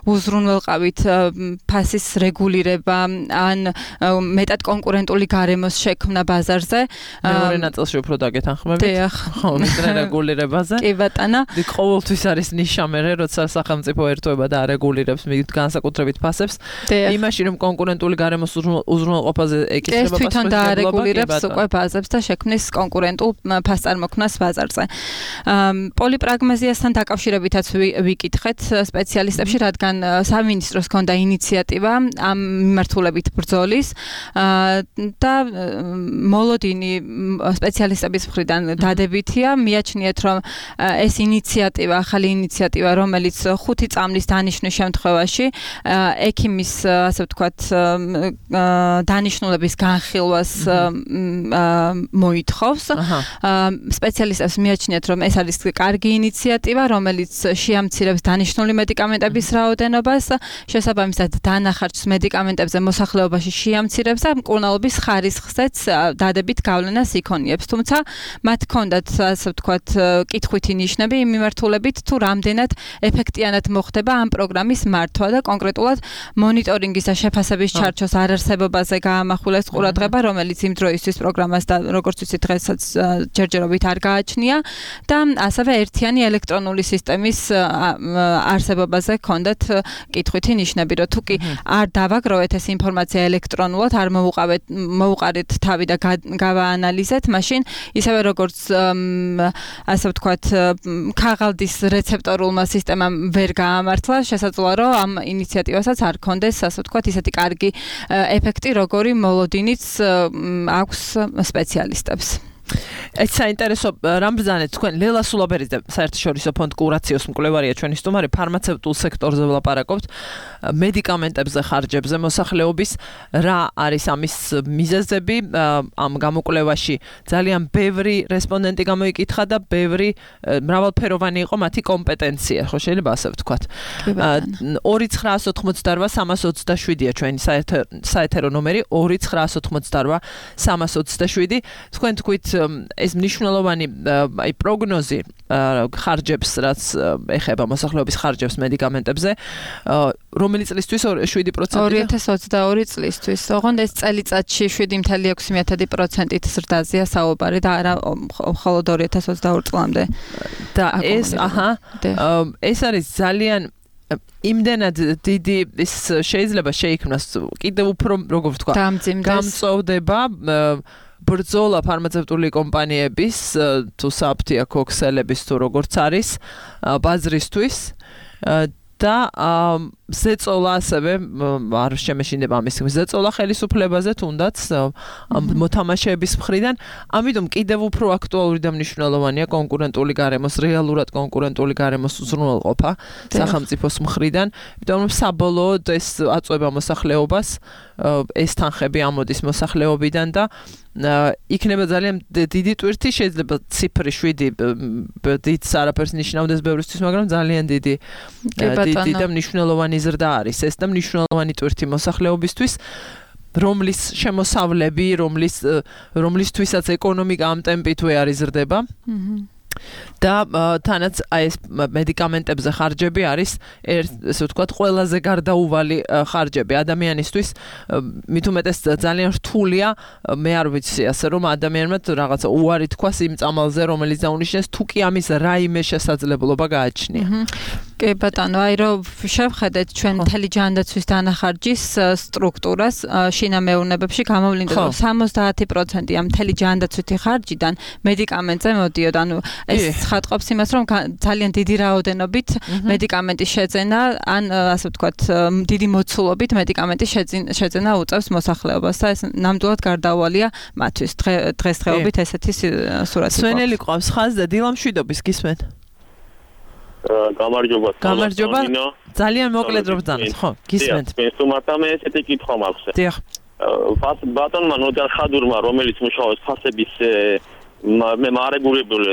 უზრუნველყავით ფასის რეგულირება ან მეტად კონკურენტული გარემოს შექმნა ბაზარზე, მეორე ნაწილში უფრო დაგეთანხმებით. დიახ. ხო, მისრე რეგულირებაზე. კი ბატონო. დი ყოველთვის არის ნიშა მე, როცა სახელმწიფო ერთობა და არეგულირებს მით განსაკუთრებით ფასებს. იმაში რომ კონკურენტული გარემოს უზრუნველყოფაზე ეკისრება ფასები. ეს თვითონ დაარეგულირებს უკვე ბაზებს და შექმნის კონკურენტულ ფასწარმოქმნას ბაზარზე. პოლიპრაგმაზიასთან დაკავშირებითაც ვიკითხეთ სპეციალისტებში, რადგან სამინისტროს ჰქონდა ინიციატივა ამ მიმართულებით ბრძოლის და მოლოდინი სპეციალისტების მხრიდან დადებითია. მიაჩნიეთ, რომ ეს ინიციატივა, ახალი ინიციატივა, რომელიც ხუთი წამლის დანიშვნის შემთხვევაში ექიმის, ასე ვთქვათ, დანიშნულების განხილვას მოითხოვს. სპეციალისტებს მიაჩნიათ, რომ ეს არის კარგი ინიციატივა, რომელიც შეამცირებს დანიშნული მედიკამენტების რაოდენობას, შესაბამისად დანახარჯს მედიკამენტებზე მოსახლეობაში შეამცირებს და მკურნალობის ხარისხზეც დადებით გავლენას იქონიებს. თუმცა მათ ჰქონდათ, ასე ვთქვათ, კითხვითი ნიშნები იმ მიმართულებით, თუ რამდენად ეფექტიანად მოხდება ამ პროგრამის მართვა და კონკრეტულად მონიტორინგის და შეფასების ჩარჩოს არარსებობაზე გაამახვილეს ყურადღება, რომელიც იმ დროისთვის პროგრამას და როგორც ვიცით დღესაც ჯერჯერობით არ გააჩნია და ასევე ერთიანი ელექტრონული სისტემის არსებობაზე ჰქონდათ კითხვითი ნიშნები, რომ თუ კი არ დავაგროვეთ ეს ინფორმაცია ელექტრონ სინქრონულად არ მოუყავეთ მოუყარეთ თავი და გავაანალიზეთ, მაშინ ისევე როგორც ასე ვთქვათ, ქაღალდის რეცეპტორულმა სისტემამ ვერ გაამართლა, შესაძლოა რომ ამ ინიციატივასაც არ ქონდეს, ასე ვთქვათ, ისეთი კარგი ეფექტი, როგორი მოლოდინიც აქვს სპეციალისტებს. ეს საინტერესო რამბრძანეთ თქვენ ლელა სულაბერიძე საერთაშორისო ფონდ კურაციოს მკვლევარია ჩვენი სტუმარი ფარმაცევტულ სექტორზე ვლაპარაკობთ მედიკამენტებზე ხარჯებზე მოსახლეობის რა არის ამის მიზეზები ამ გამოკვლევაში ძალიან ბევრი რესპონდენტი გამოიკითხა და ბევრი მრავალფეროვანი იყო მათი კომპეტენცია ხო შეიძლება ასე ვთქვათ ორი ცხრაას ოთხმოცდარვა სამას ოცდაშვიდია ჩვენი საეთერო ნომერი ორი ცხრაას ოთხმოცდარვა სამას ოცდაშვიდი თქვენ თქვით ეს მნიშვნელოვანი აი პროგნოზი ხარჯებს რაც ეხება მოსახლეობის ხარჯებს მედიკამენტებზე რომელი წლისთვის შვიდი პროცენტი ორი ათას ოცდაორი წლისთვის ოღონდ ეს წელიწადში შვიდი კoma ექვსი პროცენტით ზრდაზეა საუბარი და არა მხოლოდ ორი ათას ოცდაორი წლამდე და ეს აჰა ეს არის ძალიან იმდენად დიდი ის შეიძლება შეიქმნას კიდევ უფრო როგორ ვთქვა გამწოვდება ბრძოლა ფარმაცევტული კომპანიების თუ საფთიაქო ქსელების თუ როგორც არის ბაზრისთვის და ზეწოლა ასევე არ შემეშინდება ამის ზეწოლა ხელისუფლებაზე თუნდაც მოთამაშეების მხრიდან ამიტომ კიდევ უფრო აქტუალური და მნიშვნელოვანია კონკურენტული გარემოს რეალურად კონკურენტული გარემოს უზრუნველყოფა სახელმწიფოს მხრიდან იმიტომ რომ საბოლოოდ ეს აწვება მოსახლეობას ეს თანხები ამოდის მოსახლეობიდან და იქნება ძალიან დიდი ტვირთი შეიძლება ციფრი შვიდი დიდს არაფერს ნიშნავდეს ბევრისთვის მაგრამ ძალიან დიდი დიდი და მნიშვნელოვანი ზრდა არის ეს და მნიშვნელოვანი ტვირთი მოსახლეობისთვის რომლის შემოსავლები რომლის რომლისთვისაც ეკონომიკა ამ ტემპით ვერ არის ზრდება და თანაც აი ეს მედიკამენტებზე ხარჯები არის ესე ვთქვათ ყველაზე გარდაუვალი ხარჯები ადამიანისთვის მით უმეტეს ძალიან რთულია მე არ ვიცი ასე რომ ადამიანმა რაღაცა უარი თქვას იმ წამალზე რომელიც დაუნიშნეს თუ კი ამის რაიმე შესაძლებლობა გააჩნია კი ბატონო აი რომ შევხედეთ ჩვენ მთელი ჯანდაცვის დანახარჯის სტრუქტურას შინამეურნეობებში გამოვლინდა რომ სამოცდაათი პროცენტი ამ მთელი ჯანდაცვითი ხარჯიდან მედიკამენტზე მოდიოდა ანუ ეს ხატყოფს იმას რომ ძალიან დიდი რაოდენობით მედიკამენტის შეძენა ან ასე ვთქვათ დიდი მოცულობით მედიკამენტის შეძენა უწევს მოსახლეობას და ეს ნამდვილად გარდაუვალია მათთვის დღესდღეობით ესეთი სურათი სვენელი ყავს ხაზზე დილამშვიდობის გისმენთ გამარჯობა გამარჯობა ძალიან მოკლედ რომ ბრძანოთ ხო გისმენთ მე თუმცა ესეთი კითხვა მაქვს დიახ ბატონმა ნოდარ ხადურმა რომელიც მუშაობს ფასების მე მარეგულირებული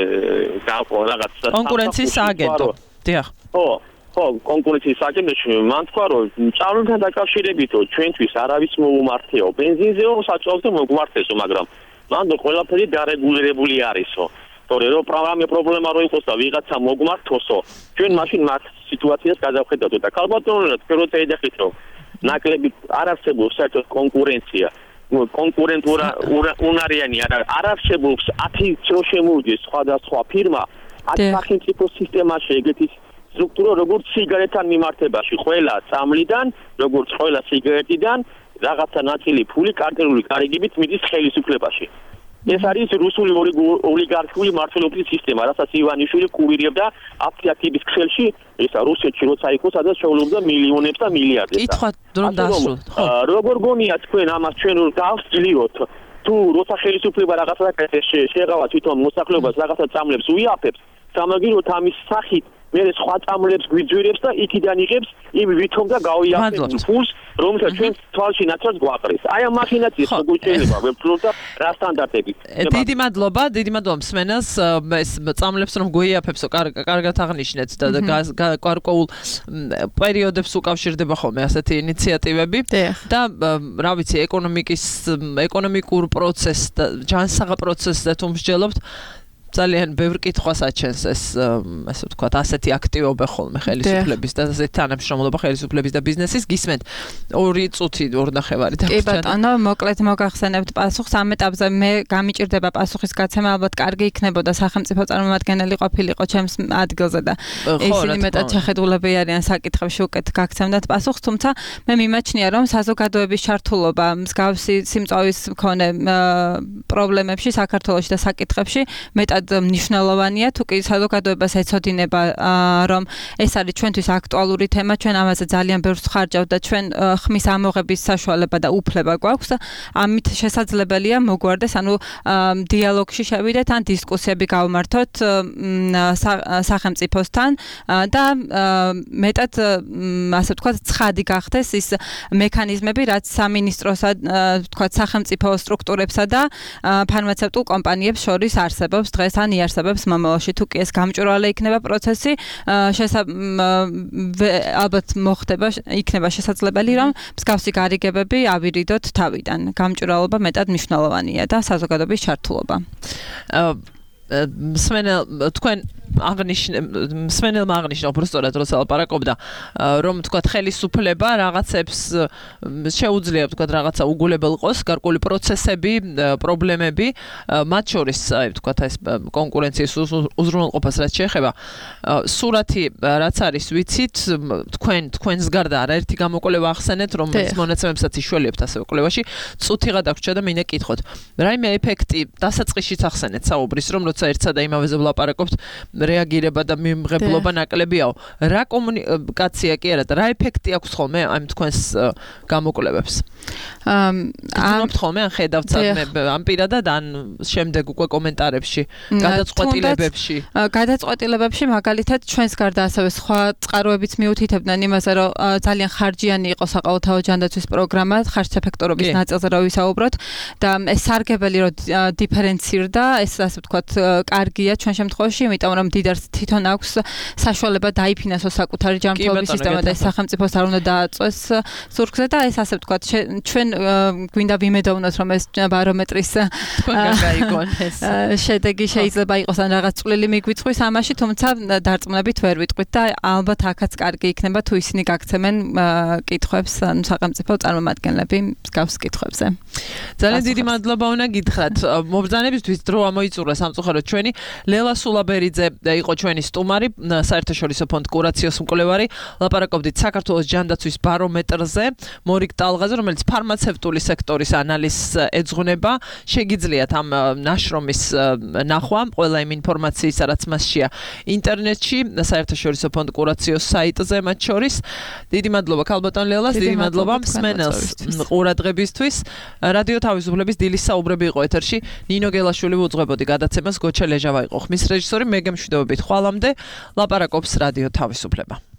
რაღაც კონკურენციის სააგენტო დიახ ხო ხო კონკურენციის სააგენტოში მან თქვა რომ წავლენთან დაკავშირებით ჩვენთვის არავის მოუმართეო ბენზინზეო საჭიროა მოგვართესო მაგრამ მან ყველაფერი დარეგულირებული არისო თორე რომ პროგრამი პრობლემა რო იყოს და ვიღაცა მოგმართოსო ჩვენ მაშინ მათ სიტუაციას გადავხედავთ და ქალბატონო თქვენ წეიდახით რომ ნაკლები არ არსებობს საერთოდ კონკურენცია კონკურენტურა უნარიანი არ არსებობს ათი რო შემოვიდეს სხვადასხვა ფირმა ათი სახელმწიფო სისტემაში ეგეთი სტრუქტურა როგორც სიგარეტთან მიმართებაში ყველა წამლიდან როგორც ყველა სიგარეტიდან რაღაცა ნაწილი ფული კარტელული გარიგებით მიდის ხელისუფლებაში ეს არის რუსული ოლიგარქიული მმართველობის სისტემა, რასაც ივანიშვილი კურირებდა აფთიაქების ქსელში, ესა რუსეთში როცა იყო, სადაც შეულებდა მილიონებს და მილიარდებს. კითხვა რომ დასრულოთ. როგორ გონია თქვენ ამას ჩვენ დავსწლიოთ? თუ როცა ხელისუფლება რაღაცა შეეღავა თვითონ მოსახლეობას რაღაცა წამლებს უიაფებს, სამაგიეროდ ამის სახით მე სხვა წამლებს გვიძვირებს და იქიდან იღებს იმ ვითომ და გავიაფებს ფულს რომელსაც ჩვენ თვალში ნაცვლად გვაყრის. აი ამ მახინაციას როგორ შეიძლება ვეფლოთ და რა სტანდარტებით. დიდი მადლობა, დიდი მადლობა მსმენელს ეს წამლებს რომ გვიაფებსო კარგად აღნიშნეთ და გარკვეულ პერიოდებს უკავშირდება ხოლმე ასეთი ინიციატივები და რა ვიცი ეკონომიკის ეკონომიკურ პროცესს და ჯანსაღ პროცესს თუ მსჯელობთ ძალიან ბევრ კითხვას აჩენს ეს ასე ვთქვათ, ასეთი აქტივობა ხოლმე ხელისუფლების და ასეთი თანამშრომლობა ხელისუფლების და ბიზნესის. გისმენთ ორი წუთი ორ ნახევარი და კი ბატონო, მოკლედ მოგახსენებთ პასუხს ამ ეტაპზე მე გამიჭირდება პასუხის გაცემა, ალბათ კარგი იქნებოდა სახელმწიფო წარმომადგენელი ყოფილიყო ჩემს ადგილზე და ისინი მეტად შეხედულები არიან საკითხებში უკეთ გაგცემდათ პასუხს, თუმცა მე მიმაჩნია რომ საზოგადოების ჩართულობა მსგავსი სიმწავის მქონე პრობლემებში საქართველოში და საკითხებში მეტად მნიშვნელოვანია, თუ კი საზოგადოებას ეცოდინება რომ ეს არის ჩვენთვის აქტუალური თემა, ჩვენ ამაზე ძალიან ბევრს ხარჯავთ და ჩვენ ხმის ამოღების საშუალება და უფლება გვაქვს. ამით შესაძლებელია მოგვარდეს, ანუ დიალოგში შევიდეთ ან დისკუსიები გავმართოთ სახელმწიფოსთან და მეტად ასე ვთქვათ, ცხადი გახდეს ის მექანიზმები, რაც სამინისტროსა, ვთქვათ, სახელმწიფო სტრუქტურებსა და ფარმაცევტულ კომპანიებს შორის არსებობს დღეს ან იარსებებს მომავალში. თუ კი ეს გამჭვირვალე იქნება პროცესი, ალბათ მოხდება, იქნება შესაძლებელი რომ მსგავსი გარიგებები ავირიდოთ თავიდან. გამჭვირვალობა მეტად მნიშვნელოვანია და საზოგადოების ჩართულობა. მსმენელ თქვენ აღნიშნე მსმენელმა აღნიშნა უბრალოდ როცა ლაპარაკობდა რომ თქვათ ხელისუფლება რაღაცებს შეუძლია თქვათ რაღაცა უგულებელ ყოს გარკვეული პროცესები პრობლემები მათ შორის აი თქვათ ეს კონკურენციის უზრუნველყოფას რაც შეეხება სურათი რაც არის ვიცით თქვენ თქვენს გარდა არაერთი გამოკვლევა ახსენეთ რომელიც მონაცემებსაც იშველებთ ასევე კვლევაში წუთი გადაგვრჩა და მინდა კითხოთ რაიმე ეფექტი დასაწყისშიც ახსენეთ საუბრის რომ როცა ერთსა და იმავეზე ვლაპარაკობთ რეაგირება და მიმღებლობა ნაკლებიაო. რა კომუნიკაცია კი არა და რა ეფექტი აქვს ხოლმე ამ თქვენს გამოკვლევებს? ამ ხოლმე ან ხედავთ ამ პირადად ან შემდეგ უკვე კომენტარებში, გადაწყვეტილებებში. გადაწყვეტილებებში მაგალითად ჩვენს გარდა ასევე სხვა წყაროებიც მიუთითებდნენ იმაზე, რომ ძალიან ხარჯიანი იყო საყოველთაო ჯანდაცვის პროგრამა, ხარჯსეფექტორობის ნაწილზე რო ვისაუბროთ და ეს სარგებელი რო დიფერენცირდა, ეს ასე ვთქვათ, კარგია ჩვენ შემთხვევაში, იმიტომ რომ დიდარს თვითონ აქვს საშუალება დაიფინანსოს საკუთარი ჯანმრთელობის სისტემა და ეს სახელმწიფოს არ უნდა დააწვეს ზურგზე და ეს ასე ვთქვათ ჩვენ გვინდა ვიმედოვნოთ რომ ეს ბარომეტრის შედეგი შეიძლება იყოს ან რაღაც წვლილი მიგვიწვის ამაში, თუმცა დარწმუნებით ვერ ვიტყვით და ალბათ აქაც კარგი იქნება თუ ისინი გაგცემენ კითხვებს ან სახელმწიფო წარმომადგენლები მსგავს კითხვებზე. ძალიან დიდი მადლობა უნდა გითხრათ. მობრძანებისთვის დრო ამოიწურა სამწუხაროდ ჩვენი ლელა სულაბერიძე იყო ჩვენი სტუმარი, საერთაშორისო ფონდ კურაციოს მკვლევარი. ლაპარაკობდით საქართველოს ჯანდაცვის ბარომეტრზე, მორიგ ტალღაზე, რომელიც ფარმაცევტული სექტორის ანალიზს ეძღვნება. შეგიძლიათ ამ ნაშრომის ნახვა, ყველა იმ ინფორმაციის, რაც მასშია ინტერნეტში, საერთაშორისო ფონდ კურაციოს საიტზე მათ შორის. დიდი მადლობა ქალბატონ ლელას, დიდი მადლობა მსმენელს ყურადღებისთვის. რადიო თავისუფლების დილის საუბრები იყო ეთერში. ნინო გელაშვილი უძღვებოდი გადაცემას, გოჩა ლეჟავა იყო ხმის რეჟისორი. მე გემშვიდობებით ხვალამდე ლაპარაკობს რადიო თავისუფლება.